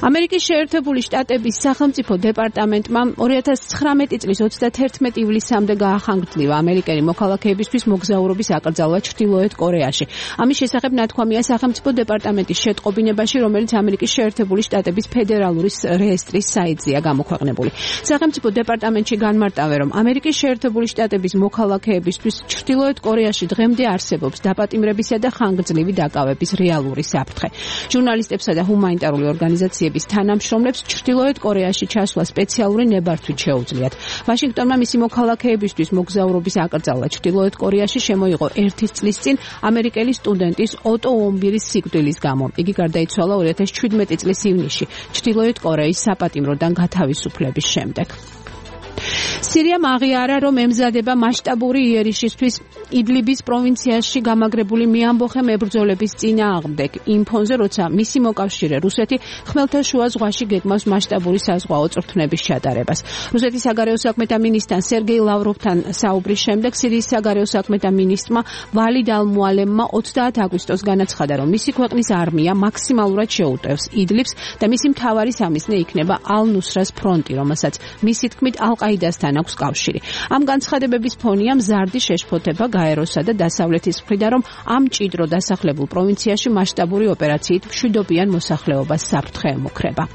ამერიკის შეერთებული შტატების სახელმწიფო დეპარტამენტმა ორი ათას ცხრამეტი წლის ოცდათერთმეტი ივლისამდე გაახანგრძლივა ამერიკელი მოქალაქეებისთვის მოგზაურობის აკრძალვა ჩრდილოეთ კორეაში. ამის შესახებ ნათქვამია სახელმწიფო დეპარტამენტის შეტყობინებაში, რომელიც ამერიკის შეერთებული შტატების ფედერალური რეესტრის საიტზეა გამოქვეყნებული. სახელმწიფო დეპარტამენტში განმარტავენ, რომ ამერიკის შეერთებული შტატების მოქალაქეებისთვის ჩრდილოეთ კორეაში დღემდე არსებობს დაპატიმრებისა და ხანგრძლივი დაკავების რეალური საფრთხე. ჟურნალისტებსა და ჰუმანიტარული ორგანიზაციების თანამშრომლებს ჩრდილოეთ კორეაში ჩასვლა სპეციალური ნებართვით შეუძლიათ. ვაშინგტონმა მისი მოქალაქეებისთვის მოგზაურობის აკრძალვა ჩრდილოეთ კორეაში შემოიღო ერთი წლის წინ ამერიკელი სტუდენტის ოტო ომბირის სიკვდილის გამო. იგი გარდაიცვალა ორი ათას შვიდმეტი წლის ივნისში ჩრდილოეთ კორეის საპატიმროდან გათავისუფლების შემდეგ. სირიამ აღიარა, რომ ემზადება მასშტაბური იერიშისთვის იდლიბის პროვინციაში გამაგრებული მეამბოხე მებრძოლების წინააღმდეგ. იმ ფონზე, როცა მისი მოკავშირე რუსეთი ხმელთაშუა ზღვაში გეგმავს მასშტაბური საზღვაო წვრთნების ჩატარებას. რუსეთის საგარეო საქმეთა მინისტრთან სერგეი ლავროვთან საუბრის შემდეგ სირიის საგარეო საქმეთა მინისტრმა ვალიდ ალ-მუალემმა ოცდაათი აგვისტოს განაცხადა, რომ მისი ქვეყნის არმია მაქსიმალურად შეუტევს იდლიბს და მისი მთავარი სამიზნე იქნება ალ-ნუსრას ფრონტი, რომელსაც მისი თქმით ალ-ყაიდასთან აქვს კავშირი. ამ განცხადებების ფონია მზარდი შეშფოთება გაეროსა და დასავლეთის მხრიდან, რომ ამ მჭიდრო დასახლებულ პროვინციაში მასშტაბური ოპერაციით მშვიდობიან მოსახლეობას საფრთხე ემუქრება.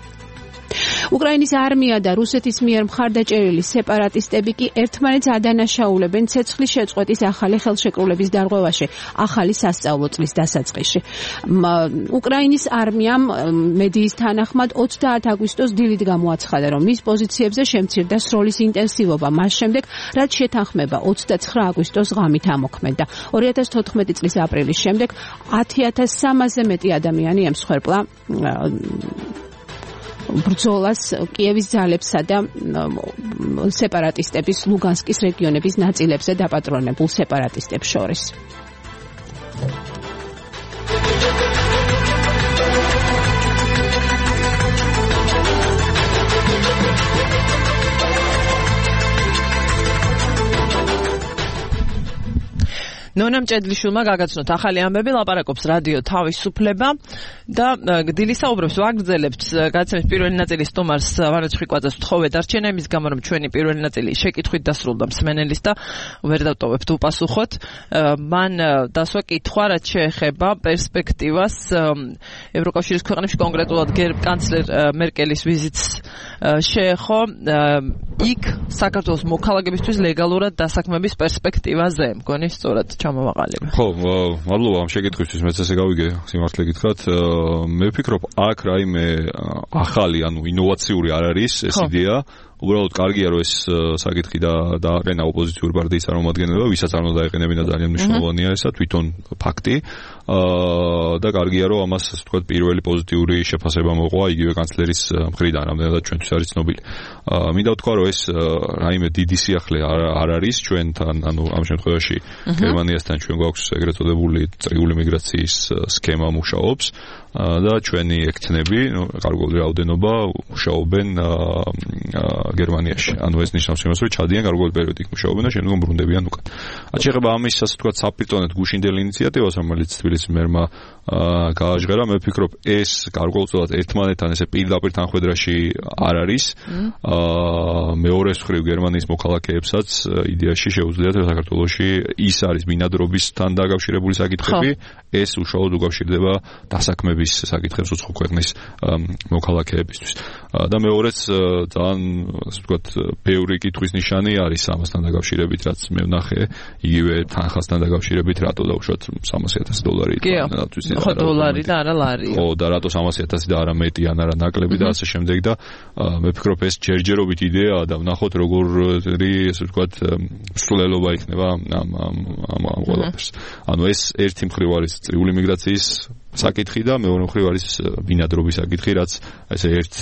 უკრაინის არმია და რუსეთის მიერ მხარდაჭერილი სეპარატისტები კი ერთმანეთს ადანაშაულებენ ცეცხლის შეწყვეტის ახალი ხელშეკრულების დარღვევაში ახალი სასწავლო წლის დასაწყისში. უკრაინის არმიამ მედიის თანახმად ოცდაათი აგვისტოს დილით გამოაცხადა, რომ მის პოზიციებზე შემცირდა სროლის ინტენსივობა მას შემდეგ, რაც შეთანხმება ოცდაცხრა აგვისტოს ღამით ამოქმედა. ორი ათას თოთხმეტი წლის აპრილის შემდეგ ათი ათას სამასზე მეტი ადამიანი ემსხვერპლა ბრძოლას კიევის ძალებსა და სეპარატისტების ლუგანსკის რეგიონების ნაწილებზე დაპატრონებულ სეპარატისტებს შორის. ნონა მჭედლიშვილმა გაგაცნოთ ახალი ამბები, ლაპარაკობს რადიო თავისუფლება და დილისაუბრებს ვაგრძელებთ გადაცემის პირველი ნაწილის სტუმარს ვანო ჩხიკვაძეს ვთხოვე დარჩენა იმის გამო, რომ ჩვენი პირველი ნაწილი შეკითხვით დასრულდა მსმენელის და ვერ დავტოვებთ უპასუხოთ. მან დასვა კითხვა, რაც შეეხება პერსპექტივას ევროკავშირის ქვეყნებში, კონკრეტულად კანცლერ მერკელის ვიზიტს შეეხო იქ საქართველოს მოქალაქეებისთვის ლეგალურად დასაქმების პერსპექტივაზე. მგონი სწორად ჩამოვაყალიბე. ხო, მადლობა ამ შეკითხვისთვის, მეც ესე გავიგე, სიმართლე გითხრათ. მე ვფიქრობ, აქ რაიმე ახალი, ანუ ინოვაციური არ არის ეს იდეა. უბრალოდ კარგია, რომ ეს საკითხი და დააყენა ოპოზიციური პარტიის წარმომადგენლობა, ვისაც არ უნდა დაეყენებინა, ძალიან მნიშვნელოვანია ესა თვითონ ფაქტი. და კარგია, რომ ამას ასე ვთქვათ, პირველი პოზიტიური შეფასება მოყვა იგივე კანცლერის მხრიდან, რამდენადაც ჩვენთვის არის ცნობილი. მინდა ვთქვა, რომ ეს რაიმე დიდი სიახლე არ არის ჩვენთან, ანუ ამ შემთხვევაში გერმანიასთან ჩვენ გვაქვს ეგრეთ წოდებული წრიული მიგრაციის სქემა მუშაობს და ჩვენი ექცნები, ნუ კარგული რაოდენობა მუშაობენ გერმანიაში. ანუ ეს ნიშნავს იმას, რომ ჩადიან გარკვეული პერიოდი იქ მუშაობენ და შემდგომ ბრუნდებიან უკან. რაც შეეხება ამის ასე ვთქვათ საფრთხოვნად გუშინდელ ინიციატივას, რომელიც თბილისის მერმა გააჟღერა, მე ვფიქრობ, ეს გარკვეულწილად ერთმანეთთან ესე პირდაპირ თანხვედრაში არ არის. მეორე მხრივ გერმანიის მოქალაქეებსაც იდეაში შეუძლიათ საქართველოში ის არის ბინადრობისთან დაკავშირებული საკითხები, ეს უშუალოდ უკავშირდება დასაქმების საკითხებს უცხო ქვეყნის მოქალაქეებისთვის. და მეორეც ძალიან ასე ვთქვათ, ბევრი კითხვის ნიშანი არის ამასთან დაკავშირებით, რაც მე ვნახე, იგივე თანხასთან დაკავშირებით, რატო დაუშვათ სამასი ათასი დოლარი თანხათვის. ხო, დოლარი და არა ლარი. ხო, და რატო სამასი ათასი და არა მეტი ან არა ნაკლები და ასე შემდეგ და მე ვფიქრობ, ეს ჯერჯერობით იდეაა და ვნახოთ როგორი ასე ვთქვათ მსვლელობა იქნება ამ ამ ამ ყველაფერს. ანუ ეს ერთი მხრივ არის წრიული მიგრაციის საკითხი და მეორე მხრივ არის ბინადრობის საკითხი, რაც ესე ერთ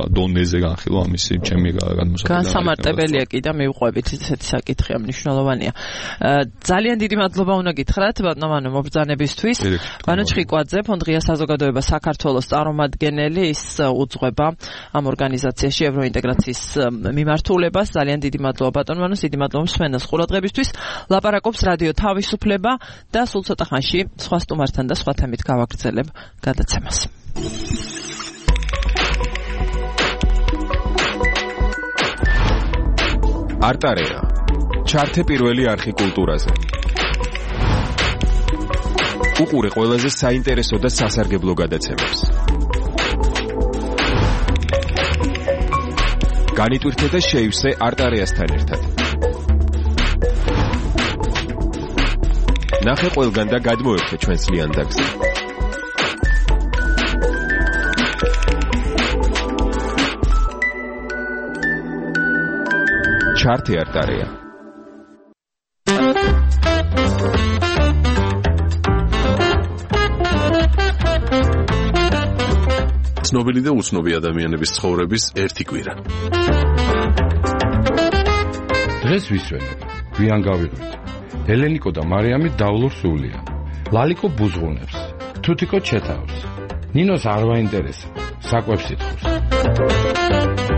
დონეზე განხილვა ამისი ჩემი განმოსახედა. განსამარტებელია კი და მივყვებით ესეთი საკითხია, მნიშვნელოვანია. ძალიან დიდი მადლობა უნდა გითხრათ ბატონო მობრძანებისთვის. ვანო ჩხიკვაძე, ფონდღია საზოგადოება საქართველოს წარმომადგენელი, ის უძღვება ამ ორგანიზაციაში ევროინტეგრაციის მიმართულებას. ძალიან დიდი მადლობა ბატონო ვანოს, დიდი მადლობა მსმენელს ყურადღებისთვის. ლაპარაკობს რადიო თავისუფლება და სულ ცოტა ხანში სხვა სტუმართან და სხვა თემით გავაგრძელებ გადაცემას. არტარეა. ჩართე პირველი არხი კულტურაზე. უყურე ყველაზე საინტერესო და სასარგებლო გადაცემებს. განიტვირთე და შეივსე არტარეასთან ერთად. ნახე ყველგან და გადმოერთე ჩვენს ლიანდაგზე. ჩართე არტარეა. ცნობილი და უცნობი ადამიანების ცხოვრების ერთი კვირა. დღეს ვისვენებ, გვიან გავიღვით. ელენიკო და მარიამი დავლურ სულია. ლალიკო ბუზღუნებს, თუთიკო ჩეთავს. ნინოს არ ვაინტერესებს, საკვებს ითხოვს.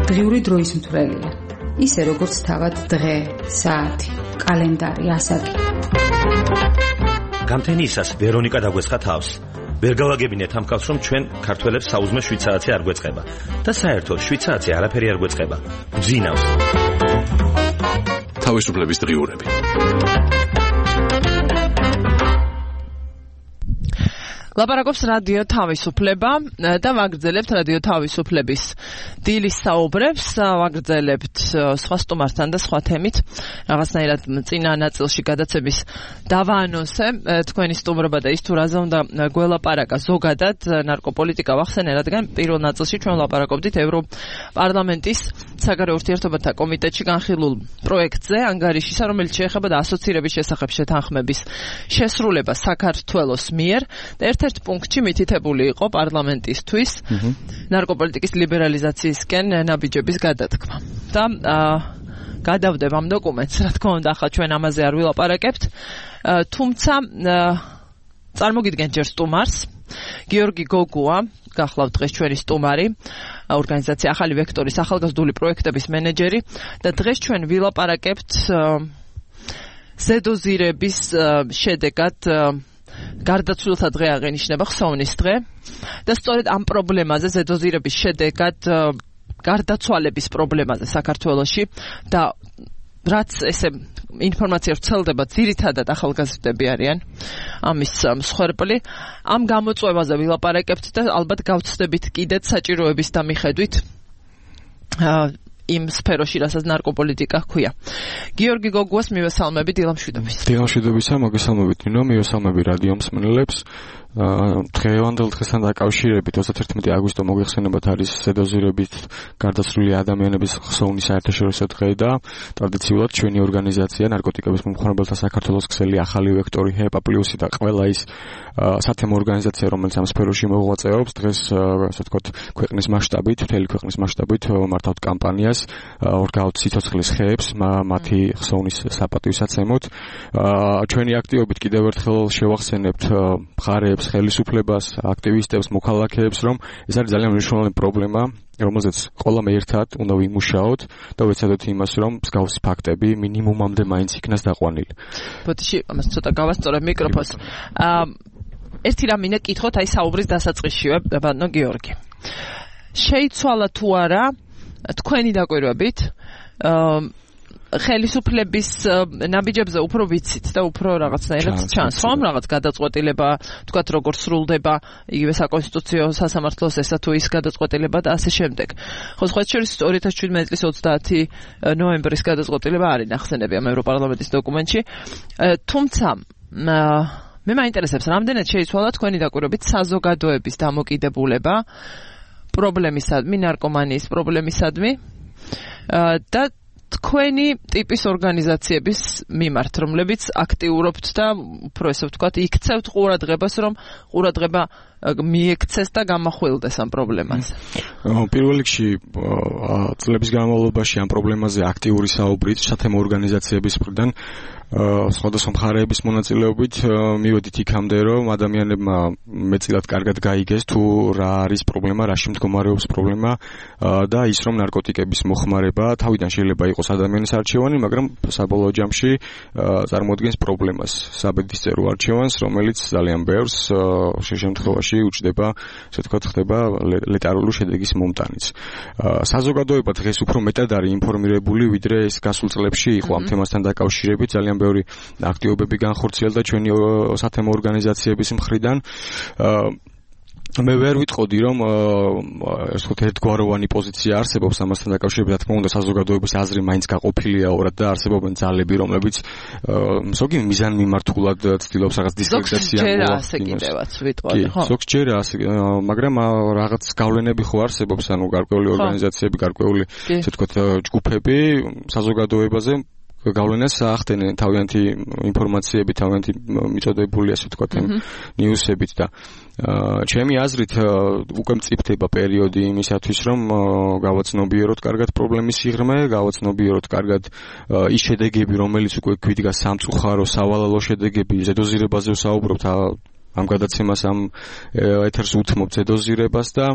დღიური დროის მთვრელია. ისე როგორც თავად დღე, საათი, კალენდარი, ასაკი. გამთენიისას ვერონიკა დაგვეცხა თავს. ვერ გავაგებინეთ ამ კაცს, რომ ჩვენ ქართველებს საუზმე შვიდ საათი არ გვეწყება და საერთოდ შვიდ საათი არაფერი არ გვეწყება. გძინავს. თავისუფლების დღიურები. ლაპარაკობს რადიო თავისუფლება და ვაგრძელებთ რადიო თავისუფლების დილის საუბრებს, ვაგრძელებთ სხვა სტუმართან და სხვა თემით. რაღაცნაირად წინა ნაწილში გადაცემის დავაანონსე თქვენი სტუმრობა და ის თუ რაზე უნდა გველაპარაკა ზოგადად ნარკოპოლიტიკა ვახსენე, რადგან პირველ ნაწილში ჩვენ ვლაპარაკობდით ევროპარლამენტის საგარეო ურთიერთობათა კომიტეტში განხილულ პროექტზე ანგარიშისა, რომელიც შეეხება და ასოცირების შესახებ შეთანხმების შესრულებას საქართველოს მიერ და ერთ-ერთ პუნქტში მითითებული იყო პარლამენტისთვის ნარკოპოლიტიკის ლიბერალიზაციისკენ ნაბიჯების გადადგმა. და გადავდებ ამ დოკუმენტს, რა თქმა უნდა, ახლა ჩვენ ამაზე არ ვილაპარაკებთ, თუმცა წარმოგიდგენთ ჯერ სტუმარს, გიორგი გოგუა, გახლავთ დღეს ჩვენი სტუმარი, ორგანიზაცია ახალი ვექტორის ახალგაზრდული პროექტების მენეჯერი და დღეს ჩვენ ვილაპარაკებთ ზედოზირების შედეგად გარდაცვლილთა დღე აღენიშნება ხსოვნის დღე და სწორედ ამ პრობლემაზე ზედოზირების შედეგად გარდაცვალების პრობლემაზე საქართველოში და რაც ესე ინფორმაცია ვრცელდება ძირითადად ახალგაზრდები არიან ამის მსხვერპლი ამ გამოწვევაზე ვილაპარაკებთ და ალბათ გავცდებით კიდეც საჭიროების და მიხედვით იმ სფეროში, რასაც ნარკოპოლიტიკა ჰქვია. გიორგი გოგუას მივესალმებით დილამშვიდობის. დილამშვიდობისა, მოგესალმებით ნინო, მივესალმები რადიო მსმენელებს. დღევანდელ დღესთან დაკავშირებით ოცდაერთი აგვისტო მოგეხსენებათ არის ზედოზირებით გარდაცვლილი ადამიანების ხსოვნის საერთაშორისო დღე და ტრადიციულად ჩვენი ორგანიზაცია ნარკოტიკების მომხმარებელთა საქართველოს ქსელი ახალი ვექტორი ჰეპა პლუსი და ყველა ის სათემო ორგანიზაცია რომელიც ამ სფეროში მოღვაწეობს დღეს ასე ვთქვათ ქვეყნის მასშტაბით, მთელი ქვეყნის მასშტაბით მართავთ კამპანიას ორგავთ სიცოცხლის ხეებს მათი ხსოვნის საპატივსაცემოდ. ჩვენი აქტივობით კიდევ ერთხელ შევახსენებთ მხარეებს ხელისუფლებას, აქტივისტებს, მოქალაქეებს, რომ ეს არის ძალიან მნიშვნელოვანი პრობლემა, რომელზეც ყველამ ერთად უნდა ვიმუშაოთ და ვეცადოთ იმას, რომ მსგავსი ფაქტები მინიმუმამდე მაინც იქნას დაყვანილი. ბოდიში, ამას ცოტა გავასწორებ მიკროფონს. ერთი რამ მინდა კითხოთ, აი საუბრის დასაწყისშივე, ბატონო გიორგი. შეიცვალა თუ არა თქვენი დაკვირვებით ხელისუფლების ნაბიჯებზე უფრო ვიცით და უფრო რაღაცნაირად ჩანს, ხომ? რაღაც გადაწყვეტილება, თქვათ, როგორ სრულდება იგივე საკონსტიტუციო სასამართლოს ესა თუ ის გადაწყვეტილება და ასე შემდეგ. ხო, სხვა შორის ორი ათას შვიდმეტი წლის ოცდაათი ნოემბრის გადაწყვეტილება არის ნახსენები ამ ევროპარლამენტის დოკუმენტში. თუმცა მე მაინტერესებს, რამდენად შეიცვალა თქვენი დაკვირვებით საზოგადოების დამოკიდებულება პრობლემისადმი, ნარკომანიის პრობლემისადმი და თქვენი ტიპის ორგანიზაციების მიმართ, რომლებიც აქტიურობთ და უფრო ესე ვთქვათ, იქცევთ ყურადღებას, რომ ყურადღება მიექცეს და გამახვილდეს ამ პრობლემაზე. პირველ რიგში წლების განმავლობაში ამ პრობლემაზე აქტიური საუბრით სათემო ორგანიზაციების მხრიდან სხვადასხვა მხარეების მონაწილეობით მივედით იქამდე, რომ ადამიანებმა მეწილად კარგად გაიგეს თუ რა არის პრობლემა, რაში მდგომარეობს პრობლემა და ის რომ ნარკოტიკების მოხმარება თავიდან შეიძლება იყოს ადამიანის არჩევანი, მაგრამ საბოლოო ჯამში წარმოადგენს პრობლემას, საბედისწერო არჩევანს, რომელიც ძალიან ბევრს შემთხვევაში უჩნდება, ასე ვთქვათ, ხდება ლეტარული შედეგის მომტანიც. საზოგადოება დღეს უფრო მეტად არის ინფორმირებული, ვიდრე ეს გასულ წლებში იყო ამ თემასთან დაკავშირებით, ძალიან ბევრი აქტივობები განხორციელდა ჩვენი სათემო ორგანიზაციების მხრიდან. მე ვერ ვიტყოდი, რომ ეს ვთქვათ ერთგვაროვანი პოზიცია არსებობს ამასთან დაკავშირებით, რა თქმა უნდა, საზოგადოების აზრი მაინც გაყოფილია ორად და არსებობენ ძალები, რომლებიც ზოგი მიზანმიმართულად ცდილობს რაღაც დისკრედიტაცია მოახდინოს. ზოგს ჯერ ასე, მაგრამ რაღაც გავლენები ხო არსებობს, ანუ გარკვეული ორგანიზაციები, გარკვეული, ასე ვთქვათ, ჯგუფები საზოგადოებაზე გავლენას ახდენენ თავიანთი ინფორმაციები, თავიანთი მიწოდებული, ასე ვთქვათ, ნიუსებით და ჩემი აზრით უკვე მწიფდება პერიოდი იმისათვის, რომ გავაცნობიეროთ კარგად პრობლემის სიღრმე, გავაცნობიეროთ კარგად ის შედეგები, რომელიც უკვე გვიდგა სამწუხარო, სავალალო შედეგები, ზედოზირებაზე ვსაუბრობთ, ამ გადაცემას ამ ეთერს უთმობთ ზედოზირებას და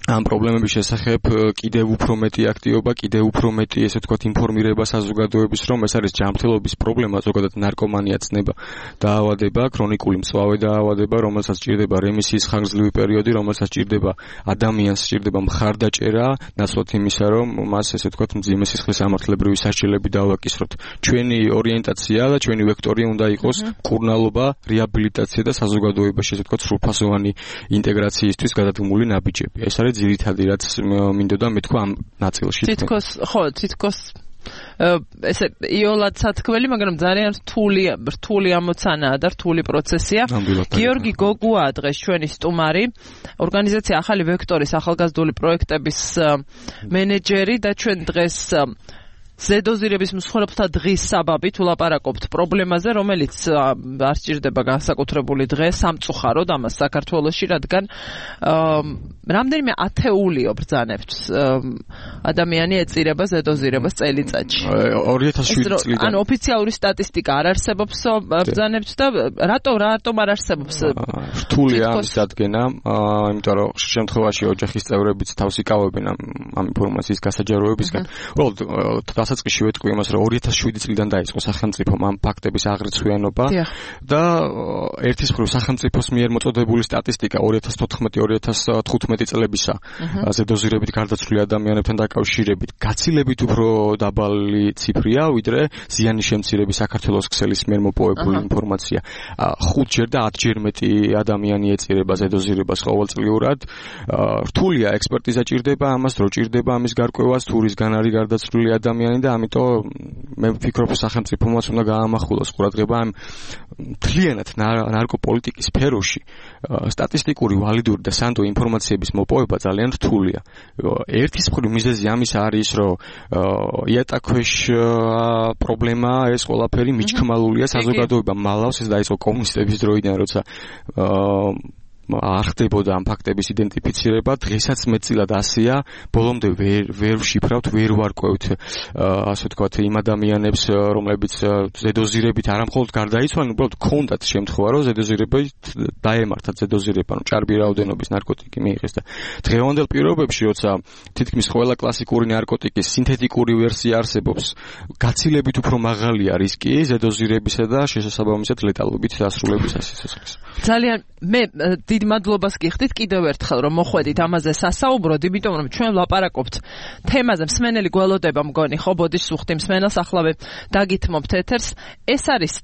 ამ პრობლემების შესახებ კიდევ უფრო მეტი აქტივობა, კიდევ უფრო მეტი, ესე ვთქვათ, ინფორმირება საზოგადოების, რომ ეს არის ჯანმრთელობის პრობლემა, ზოგადად ნარკომანია, ცნება, დაავადება, ქრონიკული მწვავე დაავადება, რომელსაც სჭირდება რემისიის ხანგრძლივი პერიოდი, რომელსაც სჭირდება ადამიანს სჭირდება მხარდაჭერა, ნაცვლად იმისა, რომ მას, ესე ვთქვათ, მძიმე სისხლის სამართლებრივი სასჯელები დავაკისროთ. ჩვენი ორიენტაცია და ჩვენი ვექტორი უნდა იყოს მკურნალობა, რეაბილიტაცია და საზოგადოებაში, ესე ვთქვათ, სრულფასოვანი ინტეგრაციისთვის გადადგმული ნაბიჯები. ეს არის ძირითადი, რაც მინდოდა მეთქვა ამ ნაწილში. თითქოს, ხო, თითქოს ესე იოლად სათქმელი, მაგრამ ძალიან რთული, რთული ამოცანაა და რთული პროცესია. გიორგი გოგუაა დღეს ჩვენი სტუმარი, ორგანიზაცია ახალი ვექტორის ახალგაზრდული პროექტების მენეჯერი და ჩვენ დღეს ზედოზირების მსხვერპლთა დღის საბაბით ვლაპარაკობთ პრობლემაზე, რომელიც არ სჭირდება განსაკუთრებული დღე, სამწუხაროდ ამას საქართველოში, რადგან რამდენიმე ათეულიო ბრძანებთ ადამიანი ეწირება ზედოზირებას წელიწადში. ორი ათას შვიდი წლიდან. ანუ ოფიციალური სტატისტიკა არ არსებობს ბრძანებთ და რატო რატომ არ არსებობს? რთულია ამის დადგენა, იმიტომ რომ შემთხვევაში ოჯახის წევრებიც თავს იკავებენ ამ ინფორმაციის გასაჯაროებისგან. უბრალოდ დასაწყისში ვეთქვი იმას, რომ ორი ათას შვიდი წლიდან დაიწყო სახელმწიფომ ამ ფაქტების აღრიცხვიანობა და ერთის მხრივ სახელმწიფოს მიერ მოწოდებული სტატისტიკა ორი ათას თოთხმეტი ორი ათას თხუთმეტი წლებისა ზედოზირებით გარდაცვლილი ადამიანებთან დაკავშირებით გაცილებით უფრო დაბალი ციფრია, ვიდრე ზიანის შემცირების საქართველოს ქსელის მიერ მოპოვებული ინფორმაცია. ხუთჯერ და ათჯერ მეტი ადამიანი ეწირება ზედოზირებას ყოველწლიურად. რთულია ექსპერტიზა ჭირდება ამას, დრო ჭირდება ამის გარკვევას, თუ რისგან არის გარდაცვლილი ადამიანი და ამიტომ მე ვფიქრობ, სახელმწიფომაც უნდა გაამახვილოს ყურადღება ამ მთლიანად ნარკოპოლიტიკის სფეროში. სტატისტიკური, ვალიდური და სანდო ინფორმაციების მოპოვება ძალიან რთულია. ერთის მხრივ მიზეზი ამის არის, რომ იატაკქვეშ პრობლემაა ეს ყველაფერი, მიჩქმალულია საზოგადოება მალავს, ეს დაიწყო კომუნისტების დროიდან, როცა არ ხდებოდა ამ ფაქტების იდენტიფიცირება, დღესაც მეტწილად ასეა, ბოლომდე ვერ ვერ ვშიფრავთ, ვერ ვარკვევთ, ასე ვთქვათ, იმ ადამიანებს, რომლებიც ზედოზირებით არა მხოლოდ გარდაიცვალნენ, უბრალოდ ქონდათ შემთხვევა, რომ ზედოზირებით დაემართათ ზედოზირება, ანუ ჭარბი რაოდენობის ნარკოტიკი მიიღეს და დღევანდელ პირობებში, როცა თითქმის ყველა კლასიკური ნარკოტიკის სინთეტიკური ვერსია არსებობს, გაცილებით უფრო მაღალია რისკი ზედოზირებისა და შესაბამისად ლეტალობით დასრულებისა სიცოცხლის. ძალიან მე დიდ მადლობას გიხდით კიდევ ერთხელ, რომ მოხვედით ამაზე სასაუბროდ, იმიტომ რომ ჩვენ ვლაპარაკობთ თემაზე, მსმენელი გველოდება მგონი, ხო, ბოდიშ სუხთი მსმენელს ახლავე დაგითმობთ ეთერს. ეს არის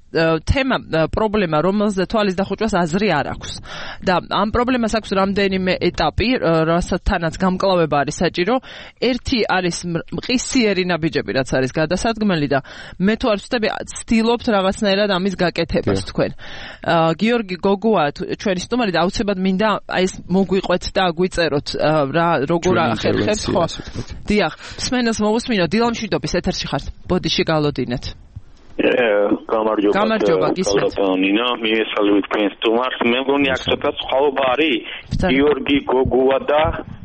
თემა, პრობლემა, რომელზე თვალის დახუჭვას აზრი არ აქვს. და ამ პრობლემას აქვს რამდენიმე ეტაპი, რასაც გამკლავება არის საჭირო. ერთი არის მყისიერი ნაბიჯები, რაც არის გადასადგმელი და მე თუ არ ვცდები, ცდილობთ რაღაცნაირად ამის გაკეთებას თქვენ. გიორგი გოგუა ჩვენი სტუმარი და აუცილებლად მინდა აი ეს მოგვიყვეთ და აგვიწეროთ რა როგორ ახერხებთ, ხო? დიახ, მსმენელს მოვუსმინო, დილამშვიდობის ეთერში ხართ. ბოდიში გალოდინეთ. გამარჯობა. გამარჯობა, გისმენთ. ნინა, მიესალმებით თქვენს სტუმარს. მე მგონი აქ ცოტა სხვაობა არის. გიორგი გოგუა და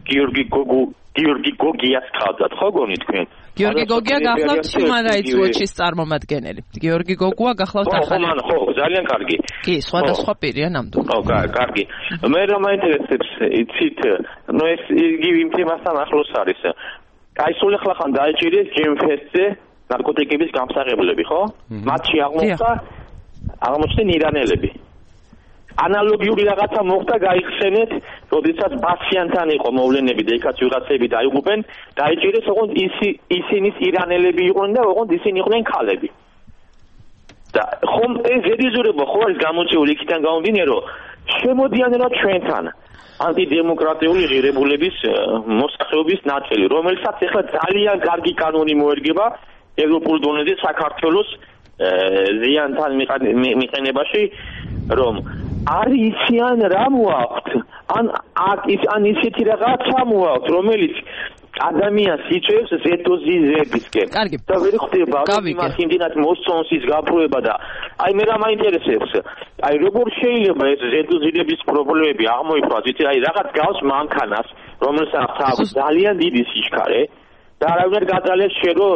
გიორგი გოგუ გიორგი გოგიას ხავდათ, ხო გონი თქვენ? გიორგი გოგია გახლავთ Human Rights Watch-ის წარმომადგენელი. გიორგი გოგუა გახლავთ ახალი. ხო, ხო, ძალიან კარგი. კი, სხვადასხვა პირია ნამდვილად. ხო, კარგი. მე რა მაინტერესებს, იცით, ნუ ეს იგივე იმ თემასთან ახლოს არის. აი სულ ახლა ხან დაიჭირეს ჯემფესზე ნარკოტიკების გამსაღებლები, ხო? მათში აღმოჩნდა აღმოჩნდნენ ირანელები. ანალოგიური რაღაცა მოხდა, გაიხსენეთ, როდესაც პაციენტთან იყო მოვლენები და იქაც ვიღაცები დაიღუპენ, დაიჭირეს, ოღონდ ისინი ირანელები იყვნენ და ოღონდ ისინი იყვნენ ქალები. და ხომ ეს ზედიზურება ხო არის გამოწვეული იქიდან გამომდინარე, რომ შემოდიან რა ჩვენთან ანტიდემოკრატიული ღირებულების მოსახლეობის ნაწილი, რომელსაც ახლა ძალიან კარგი კანონი მოერგება ევროპულ დონეზე საქართველოს ზიანთან მიყენებაში, რომ არ იციან რა მოაქვთ, ან ან ისეთი რაღაცა მოაქვთ, რომელიც ადამიანს იწევს ზედოზიზებისკენ. კარგი. და ვერ ხდება იმას იმდენად მოსწონს ის გაფროება და აი მე რა მაინტერესებს. აი როგორ შეიძლება ეს ზედოზიდების პრობლემები აღმოიფროს, იცი, აი რაღაც გავს მანქანას, რომელსაც აქვს ძალიან დიდი სიჩქარე და არავინ არ გაძალეს შენ რომ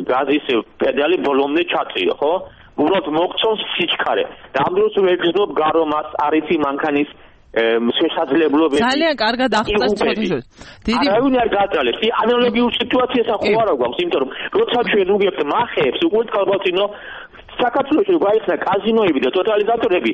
გაზის პედალი ბოლომდე ჩაწიო, ხო? უბრალოდ მოგწონს სიჩქარე. და ამ დროს ვერ გძნობ გარომას, არიცი მანქანის შესაძლებლობები. ძალიან კარგად აღწერს თქვენ. დიდი არავინ არ გაძალეს. ანალოგიურ სიტუაციას ახო არა გვაქვს, იმიტომ რომ როცა ჩვენ უგებთ მახეებს, უკვე წყალბატონო საქართველოში გაიხსნა კაზინოები და ტოტალიზატორები.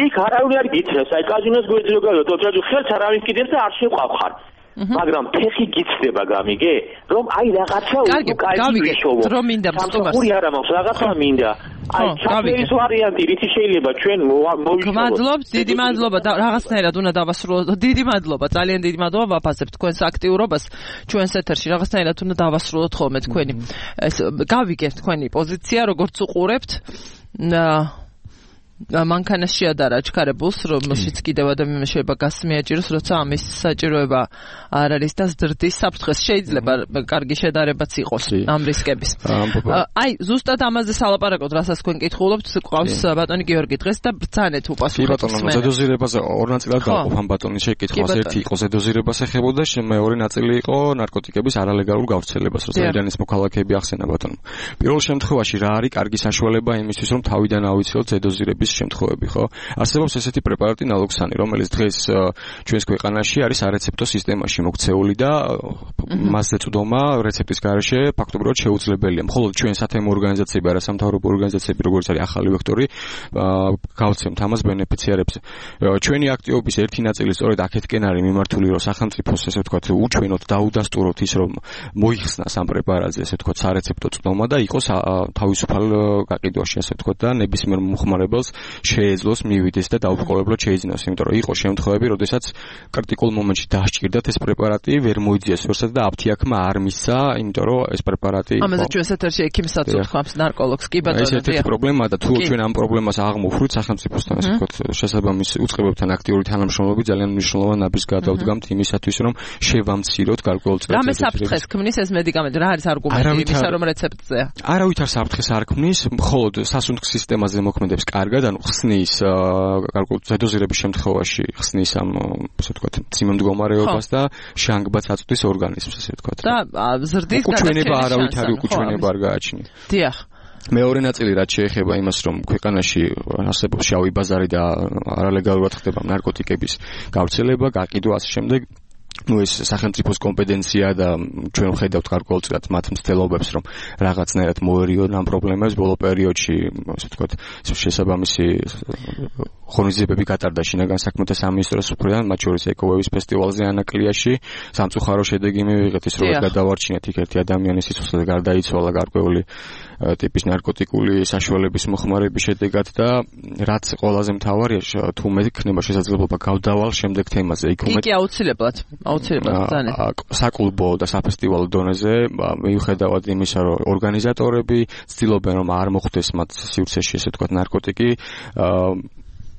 იქ არავინ არ გითხრას, აი კაზინოს გვეძლო გავიო, ტოტალიზატორი ხელს არავინ კიდევ და არ შეყვავხარ. მაგრამ ფეხი გიცდება გამიგე, რომ აი რაღაცა უკაი გავიგე, რომ მინდა მსტობას. ორი არა მაქვს, რაღაცა მინდა. აი ჩაფერის ვარიანტი რითი შეიძლება ჩვენ მოვიშოროთ. მადლობთ, დიდი მადლობა და რაღაცნაირად უნდა დავასრულოთ. დიდი მადლობა, ძალიან დიდი მადლობა ვაფასებთ თქვენს აქტიურობას ჩვენს ეთერში. რაღაცნაირად უნდა დავასრულოთ ხოლმე თქვენი. ეს გავიგეთ თქვენი პოზიცია, როგორც უყურებთ. მანქანას შეადარა აჩქარებულს, რომელშიც კიდევ ადამიანმა შეიძლება გასმიაჭიროს, როცა ამის საჭიროება არ არის და ზრდის საფრთხეს შეიძლება კარგი შედარებაც იყოს ამ რისკების. აი, ზუსტად ამაზე სალაპარაკოთ, რასაც თქვენ კითხულობთ, ყავს ბატონი გიორგი დღეს და ბრძანეთ უპასუხეთ. კი ბატონო, ზედოზირებაზე ორ ნაწილად გავყოფ ამ ბატონის შეკითხვას. ერთი იყო ზედოზირებას ეხებოდა, მეორე ნაწილი იყო ნარკოტიკების არალეგალურ გავრცელებას, როცა ირანის მოქალაქეები ახსენა ბატონო. პირველ შემთხვევაში რა არის კარგი საშუალება იმისთვის, რომ თავიდან ავიცილოთ ზედოზირების შემთხვევები, ხო? არსებობს ესეთი პრეპარატი ნალოქსანი, რომელიც დღეს ჩვენს ქვეყანაში არის არეცეპტო სისტემაში მოქცეული და მასზე წვდომა რეცეპტის გარეშე ფაქტობრივად შეუძლებელია. მხოლოდ ჩვენ სათემო ორგანიზაციები, არასამთავრობო ორგანიზაციები, როგორც არის ახალი ვექტორი, გავცემთ ამას ბენეფიციარებს. ჩვენი აქტივობის ერთი ნაწილი სწორედ აქეთკენ არის მიმართული, რომ სახელმწიფოს, ესე ვთქვათ, უჩვენოთ, დაუდასტუროთ ის, რომ მოიხსნას ამ პრეპარატზე, ესე ვთქვათ, სარეცეპტო წვდომა და იყოს თავისუფალ გაყიდვაში, ასე ვთქვათ, და ნებისმიერ მომხმარებელს შეეძლოს მივიდეს და დაუბრკოლებლად შეიძინოს, იმიტომ რომ იყო შემთხვევები, როდესაც კრიტიკულ მომენტში დასჭირდათ ეს პრეპარატი, ვერ მოიძიეს ვერსად და აფთიაქმა არ მისცა, იმიტომ რომ ეს პრეპარატი იყო. ამაზე ჩვენ ეთერში ექიმსაც ვთქვამს, ნარკოლოგს, კი ბატონო. ეს ერთ-ერთი პრობლემაა და თუ ჩვენ ამ პრობლემას აღმოფხვრით სახელმწიფოსთან, ასე ვთქვათ, შესაბამის უწყებებთან აქტიური თანამშრომლობით ძალიან მნიშვნელოვან ნაბიჯს გადავდგამთ იმისათვის, რომ შევამციროთ გარკვეულწილად. რამე საფრთხეს ქმნის ეს მედიკამენტი, რა არის არგუმენტი იმისა, რომ რეცეპტზეა? არავითარ საფრთხეს არ ქმნის, მხოლოდ სასუნთქ სისტემაზე მოქმედებს კარგად, ანუ ხსნის გარკვეულ ზედოზირების შემთხვევაში ხსნის ამ, ასე ვთქვათ, მძიმე მდგომარეობას და შანგბაც აწვდის ორგანიზმს, ასე ვთქვათ. და ზრდის გადაჭრა არავითარი უკუჩვენება არ გააჩნია. დიახ. მეორე ნაწილი რაც შეეხება იმას, რომ ქვეყანაში არსებობს შავი ბაზარი და არალეგალურად ხდება ნარკოტიკების გავრცელება, გაყიდვა ასე შემდეგ. ну ეს სახელმწიფოს კომპეტენცია და ჩვენ ვხედავთ გარკვეულწილად მათ მცდელობებს, რომ რაღაცნაირად მოერიონ ამ პრობლემებს. ბოლო პერიოდში, ასე ვთქვათ, შესაბამისი ღონისძიებები გატარდა შინაგან საქმეთა სამინისტროს მხრიდან, მათ შორის ეკოვევის ფესტივალზე ანაკლიაში. სამწუხარო შედეგი მივიღეთ ის, რომ გადავარჩინეთ იქ ერთი ადამიანის სიცოცხლე და გარდაიცვალა გარკვეული ტიპის ნარკოტიკული საშუალების მოხმარების შედეგად და რაც ყველაზე მთავარია, თუ მე იქნება შესაძლებლობა გავდავალ შემდეგ თემაზე. იქ უმეტ კი აუცილებლად აუცილებლად ბრძანეთ. საკლუბო და საფესტივალო დონეზე მიუხედავად იმისა, რომ ორგანიზატორები ცდილობენ, რომ არ მოხდეს მათ სივრცეში, ესე ვთქვათ, ნარკოტიკი,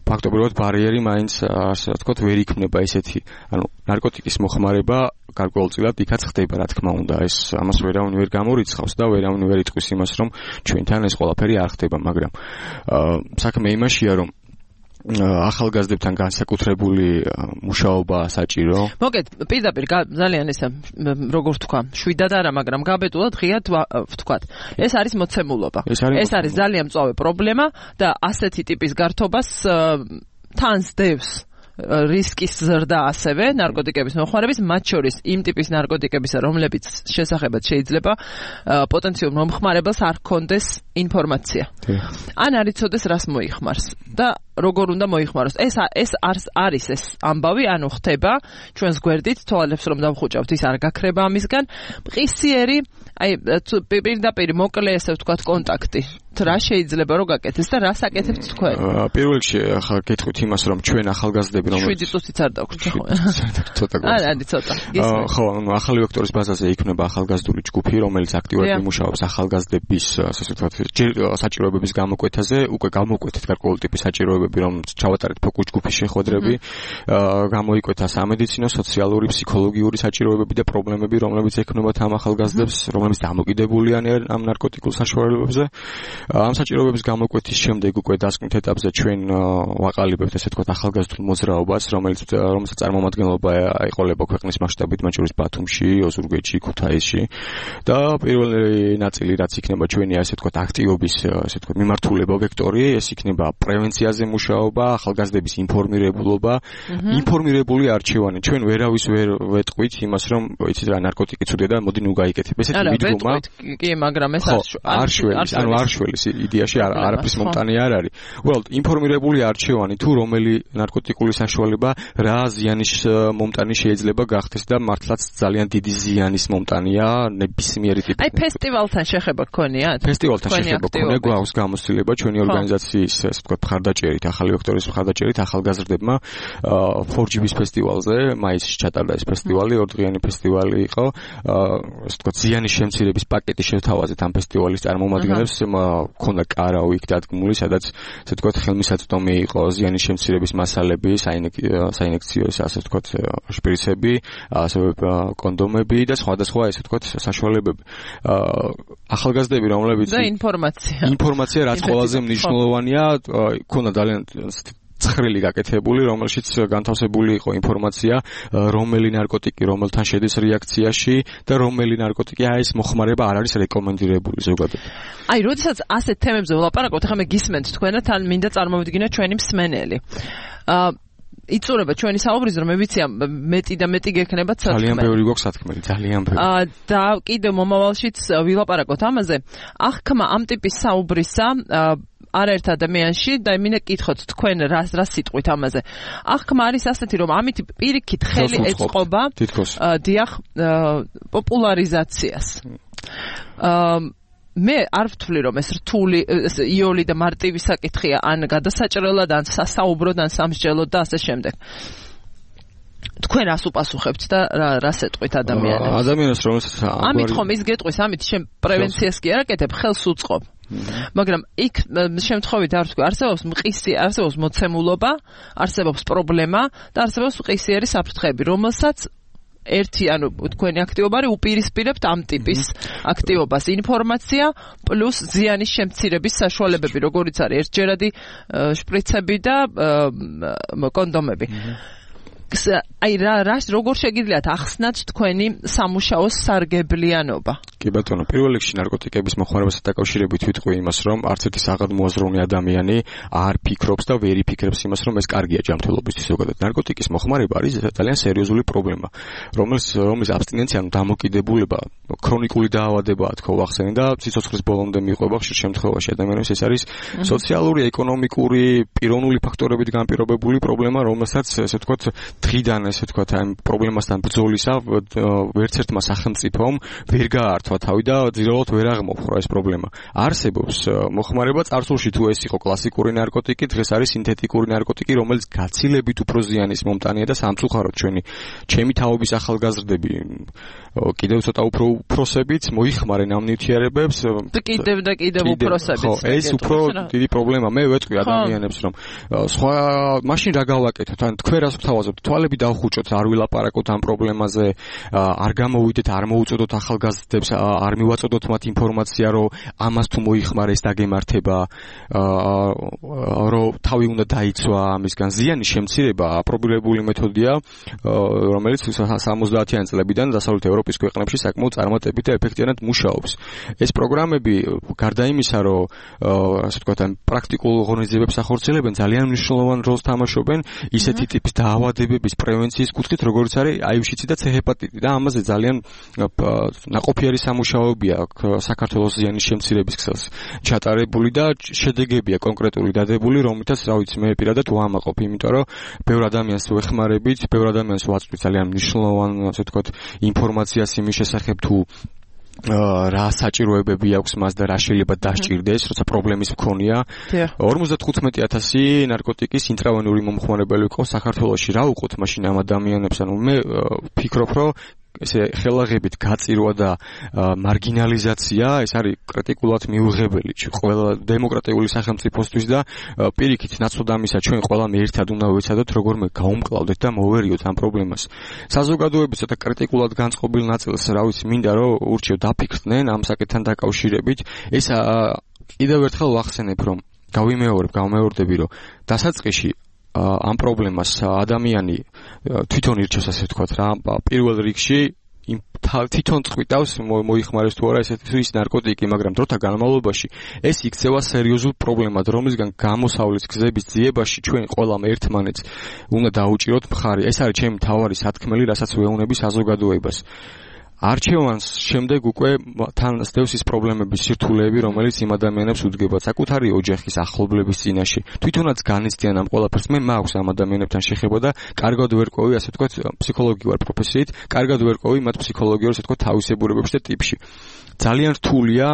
ფაქტობრივად ბარიერი მაინც, ასე ვთქვათ, ვერ იქნება ესეთი, ანუ ნარკოტიკის მოხმარება გარკვეულწილად იქაც ხდება, რა თქმა უნდა, ეს ამას ვერავინ ვერ გამორიცხავს და ვერავინ ვერ იტყვის იმას, რომ ჩვენთან ეს ყველაფერი არ ხდება, მაგრამ საქმე იმაშია, რომ ახალგაზრდებთან განსაკუთრებული მუშაობა საჭირო. მოგეთ, პირდაპირ ძალიან ესე როგორ ვთქვა, შვიდად არა, მაგრამ გაბედულად ღიად ვთქვათ. ეს არის მოცემულობა. ეს არის ძალიან მწვავე პრობლემა და ასეთი ტიპის გართობას თან სდევს რისკის ზრდა ასევე ნარკოტიკების მოხმარების, მათ შორის იმ ტიპის ნარკოტიკებისა, რომლებიც შესახებად შეიძლება პოტენციურ მომხმარებელს არ ჰქონდეს ინფორმაცია. ან არ იცოდეს რას მოიხმარს და როგორ უნდა მოიხმაროს. ეს ეს არის ეს ამბავი, ანუ ხდება ჩვენს გვერდით, თვალებს რომ დავხუჭავთ, ის არ გაქრება ამისგან. მყისიერი, აი პირდაპირ მოკლე, ესე ვთქვათ, კონტაქტი. რა შეიძლება რომ გაკეთდეს და რას აკეთებთ თქვენ? პირველ რიგში ახლა გეტყვით იმას, რომ ჩვენ ახალგაზრდები, რომ შვიდი წუთიც არ დაგვჭირდა ხო? ცოტა გქონდა. არა, არა, ცოტა. ხო, ანუ ახალი ვექტორის ბაზაზე იქნება ახალგაზრდული ჯგუფი, რომელიც აქტიურად იმუშავებს ახალგაზრდების, ასე ვთქვათ, საჭიროებების გამოკვეთაზე, უკვე გამოკვეთეთ გარკვეული ტიპის საჭიროებები საჭიროებები, რომ ჩავატარეთ ფოკუს ჯგუფის შეხვედრები, გამოიკვეთა სამედიცინო, სოციალური, ფსიქოლოგიური საჭიროებები და პრობლემები, რომლებიც ექნებათ ამ ახალგაზრდებს, რომლებიც დამოკიდებული არიან ამ ნარკოტიკულ საშუალებებზე. ამ საჭიროებების გამოკვეთის შემდეგ უკვე დასკვნით ეტაპზე ჩვენ ვაყალიბებთ ესე ვთქვათ ახალგაზრდულ მოძრაობას, რომელიც რომელსაც წარმომადგენლობა აიყოლება ქვეყნის მასშტაბით, მათ შორის ბათუმში, ოზურგეთში, ქუთაისში და პირველი ნაწილი რაც იქნება ჩვენი ასე ვთქვათ აქტივობის ასე ვთქვათ მიმართულება ვექტორი, ეს იქნება პრევენციაზე მუშაობა, ახალგაზრდების ინფორმირებულობა, ინფორმირებული არჩევანი. ჩვენ ვერავის ვერ ვეტყვით იმას, რომ იცით რა ნარკოტიკი ცუდია და მოდი ნუ გაიკეთებ. ესეთი მიდგომა კი, მაგრამ ეს არ შველის, ანუ არ შველის იდეაში არაფრის მომტანი არ არის. უბრალოდ ინფორმირებული არჩევანი თუ რომელი ნარკოტიკული საშუალება რა ზიანის მომტანი შეიძლება გახდეს და მართლაც ძალიან დიდი ზიანის მომტანია ნებისმიერი ტიპის. აი ფესტივალთან შეხება გქონიათ? ფესტივალთან შეხება გქონია, გვაქვს გამოცდილება ჩვენი ორგანიზაციის ასე ვთქვათ მხარდაჭერით, ახალი ვექტორის მხარდაჭერით ახალგაზრდებმა four G B-ის ფესტივალზე მაისში ჩატარდა ეს ფესტივალი, ორდღიანი ფესტივალი იყო. ასე ვთქვათ ზიანის შემცირების პაკეტი შევთავაზეთ ამ ფესტივალის წარმომადგენლებს, მქონდა კარაო იქ დადგმული, სადაც ასე ვთქვათ ხელმისაწვდომი იყო ზიანის შემცირების მასალები, საინექციო ასე ვთქვათ შპრიცები, ასევე კონდომები და სხვადასხვა ასე ვთქვათ საშუალებები. ახალგაზრდები რომლებიც და ინფორმაცია. ინფორმაცია რაც ყველაზე მნიშვნელოვანია, ქონდა ძალიან ცხრილი გაკეთებული, რომელშიც განთავსებული იყო ინფორმაცია, რომელი ნარკოტიკი რომელთან შედის რეაქციაში და რომელი ნარკოტიკი აი ეს მოხმარება არ არის რეკომენდირებული ზოგადად. აი, როდესაც ასეთ თემებზე ვლაპარაკობთ, ახლა მე გისმენთ თქვენად, თან მინდა წარმოვიდგინოთ ჩვენი მსმენელი. აა იწურება ჩვენი საუბრის, რომ მე ვიცი მეტი და მეტი გექნება საქმე. ძალიან ბევრი გვაქვს სათქმელი, ძალიან ბევრი. აა და კიდევ მომავალშიც ვილაპარაკოთ ამაზე. აღქმა ამ ტიპის საუბრისა არაერთ ადამიანში და მინდა გითხოთ თქვენ რას რას სიტყვით ამაზე. აღქმა არის ასეთი, რომ ამით პირიქით ხელი ეწყობა დიახ პოპულარიზაციას. აა მე არ ვთვლი რომ ეს რთული იოლი და მარტივი საკითხია ან გადასაჭრელად ან სასაუბროდ ან სამსჯელოდ და ასე შემდეგ. თქვენ რას უპასუხებთ და რას ეტყვით ადამიანებს? ადამიანებს რომელსაც ამით ხომ ის გეტყვის, ამით შენ პრევენციას კი არ აკეთებ, ხელს უწყობ. მაგრამ იქ შემთხვევით არ ვთქვი, არსებობს მყისი, არსებობს მოცემულობა, არსებობს პრობლემა და არსებობს მყისიერი საფრთხეები, რომელსაც ერთი ანუ თქვენი აქტივობა არის უპირისპირებთ ამ ტიპის აქტივობას, ინფორმაცია პლუს ზიანის შემცირების საშუალებები, როგორიც არის ერთჯერადი შპრიცები და კონდომები. აი რა რა როგორ შეგიძლიათ ახსნათ თქვენი სამუშაოს სარგებლიანობა? კი ბატონო, პირველ რიგში ნარკოტიკების მოხმარებასთან დაკავშირებით ვიტყვი იმას, რომ არც ერთი საღადმოაზროვნე ადამიანი არ ფიქრობს და ვერ იფიქრებს იმას, რომ ეს კარგია ჯანმრთელობისთვის ზოგადად. ნარკოტიკის მოხმარება არის ძალიან სერიოზული პრობლემა, რომელიც რომლის აბსტინენცია, ანუ დამოკიდებულება, ქრონიკული დაავადებაა, თქო ვახსენე და სიცოცხლის ბოლომდე მიყვება ხშირ შემთხვევაში ადამიანებს. ეს არის სოციალური, ეკონომიკური, პიროვნული ფაქტორებით განპირობებული პრობლემა, რომელსაც ესე ვთქვათ დღიდან ესე ვთქვათ ამ პრობლემასთან ბრძოლისა ვერც ერთმა სახელმწიფომ ვერ გაართვა თავი და ძირეულად ვერ აღმოფხვრა ეს პრობლემა. არსებობს მოხმარება წარსულში თუ ეს იყო კლასიკური ნარკოტიკი, დღეს არის სინთეტიკური ნარკოტიკი, რომელიც გაცილებით უფრო ზიანის მომტანია და სამწუხაროდ ჩვენი ჩემი თაობის ახალგაზრდები კიდევ ცოტა უფრო უფროსებით მოიხმარენ ამ ნივთიერებებს. კიდევ და კიდევ უფროსებით. ხო, ეს უფრო დიდი პრობლემა. მე ვეტყვი ადამიანებს, რომ სხვა მაშინ რა გავაკეთოთ? ან თქვენ რას ვთავაზობთ? თვალები დავხუჭოთ, არ ვილაპარაკოთ ამ პრობლემაზე, არ გამოვიდეთ, არ მოუწოდოთ ახალგაზრდებს, არ მივაწოდოთ მათ ინფორმაცია, რომ ამას თუ მოიხმარეს დაგემართება, რომ თავი უნდა დაიცვა ამისგან. ზიანის შემცირება აპრობირებული მეთოდია, რომელიც სამოცდაათიანი წლებიდან დასავლეთ ევროპის ქვეყნებში საკმაოდ წარმატებით და ეფექტიანად მუშაობს. ეს პროგრამები გარდა იმისა, რომ ასე ვთქვათ, ამ პრაქტიკულ ღონისძიებებს ახორციელებენ, ძალიან მნიშვნელოვან როლს თამაშობენ ისეთი ტიპის დაავადებების პრევენციის კუთხით, როგორც არის აივ-შიცი და ცე-ჰეპატიტი და ამაზე ძალიან ნაყოფიერი სამუშაოებია საქართველოს ზიანის შემცირების ქსელს ჩატარებული და შედეგებია კონკრეტული დადებული, რომლითაც რა ვიცი მე პირადად ვამაყობ, იმიტომ რომ ბევრ ადამიანს ვეხმარებით, ბევრ ადამიანს ვაწვდით ძალიან მნიშვნელოვან, ასე ვთქვათ, ინფორმაციას იმის შესახებ თუ რა საჭიროებები აქვს მას და რა შეიძლება დასჭირდეს, როცა პრობლემის მქონია. ორმოცდათხუთმეტი ათასი ნარკოტიკის ინტრავენური მომხმარებელი ყავს საქართველოში. რა უყოთ მაშინ ამ ადამიანებს? ანუ მე ვფიქრობ, რომ ესე ხელაღებით გაწირვა და მარგინალიზაცია ეს არის კრიტიკულად მიუღებელი ყველა დემოკრატიული სახელმწიფოსთვის და პირიქით ნაცვლად ამისა ჩვენ ყველამ ერთად უნდა ვეცადოთ როგორმე გაუმკლავდეთ და მოვერიოთ ამ პრობლემას. საზოგადოების ცოტა კრიტიკულად განწყობილ ნაწილს რა ვიცი მინდა რომ ურჩევ დაფიქრდნენ ამ საკითხთან დაკავშირებით. ეს კიდევ ერთხელ ვახსენებ რომ გავიმეორებ, გავმეორდები რომ დასაწყისში ამ პრობლემას ადამიანი თვითონ ირჩევს ასე ვთქვათ რა პირველ რიგში თვითონ წვიტავს მოიხმარეს თუ არა ესეთი ის ნარკოტიკი, მაგრამ დროთა განმავლობაში ეს იქცევა სერიოზულ პრობლემად, რომლისგან გამოსავლის გზების ძიებაში ჩვენ ყველამ ერთმანეთს უნდა დაუჭიროთ მხარი. ეს არის ჩემი მთავარი სათქმელი, რასაც ვეუბნები საზოგადოებას. არჩევანს შემდეგ უკვე თან სდევს ის პრობლემების სირთულეები, რომელიც იმ ადამიანებს უდგება საკუთარი ოჯახის ახლობლების წინაშე. თვითონაც განიცდიან ამ ყველაფერს. მე მაქვს ამ ადამიანებთან შეხება და კარგად ვერ ყვევი, ასე ვთქვათ, ფსიქოლოგი ვარ პროფესიით, კარგად ვერ ყვევი მათ ფსიქოლოგიურ, ასე ვთქვათ, თავისებურებებში და ტიპში. ძალიან რთულია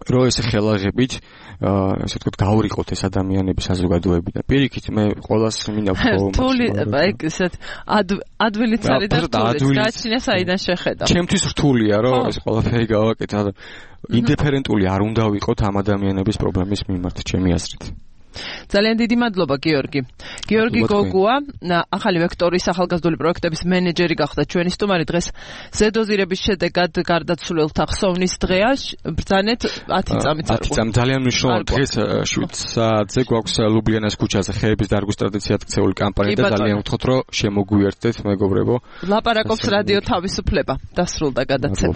რომ ეს ხელაღებით ასე ვთქვათ გავრიყოთ ეს ადამიანები საზოგადოებიდან. პირიქით მე ყოველას მინდა ვთქვა რთული ეგ ესეთ ადვილიც არის და რთული გააჩნია საიდან შეხედა. ჩემთვის რთულია რომ ეს ყველაფერი გავაკეთე. ინდიფერენტული არ უნდა ვიყოთ ამ ადამიანების პრობლემის მიმართ ჩემი აზრით. ძალიან დიდი მადლობა გიორგი. გიორგი გოგუა, ახალი ვექტორის ახალგაზრდული პროექტების მენეჯერი გახდა ჩვენი სტუმარი. დღეს ზედოზირების შედეგად გარდაცვლილთა ხსოვნის დღეა. ბრძანეთ ათი წამით. ათი წამი ძალიან მნიშვნელოვანი. დღეს შვიდ საათზე გვაქვს ლუბლიანას ქუჩაზე ხეების დარგვის ტრადიციად ქცეული კამპანია და ძალიან ვთქვათ რომ შემოგვიერთდეთ მეგობრებო. ლაპარაკობს რადიო თავისუფლება. დასრულდა გადაცემა.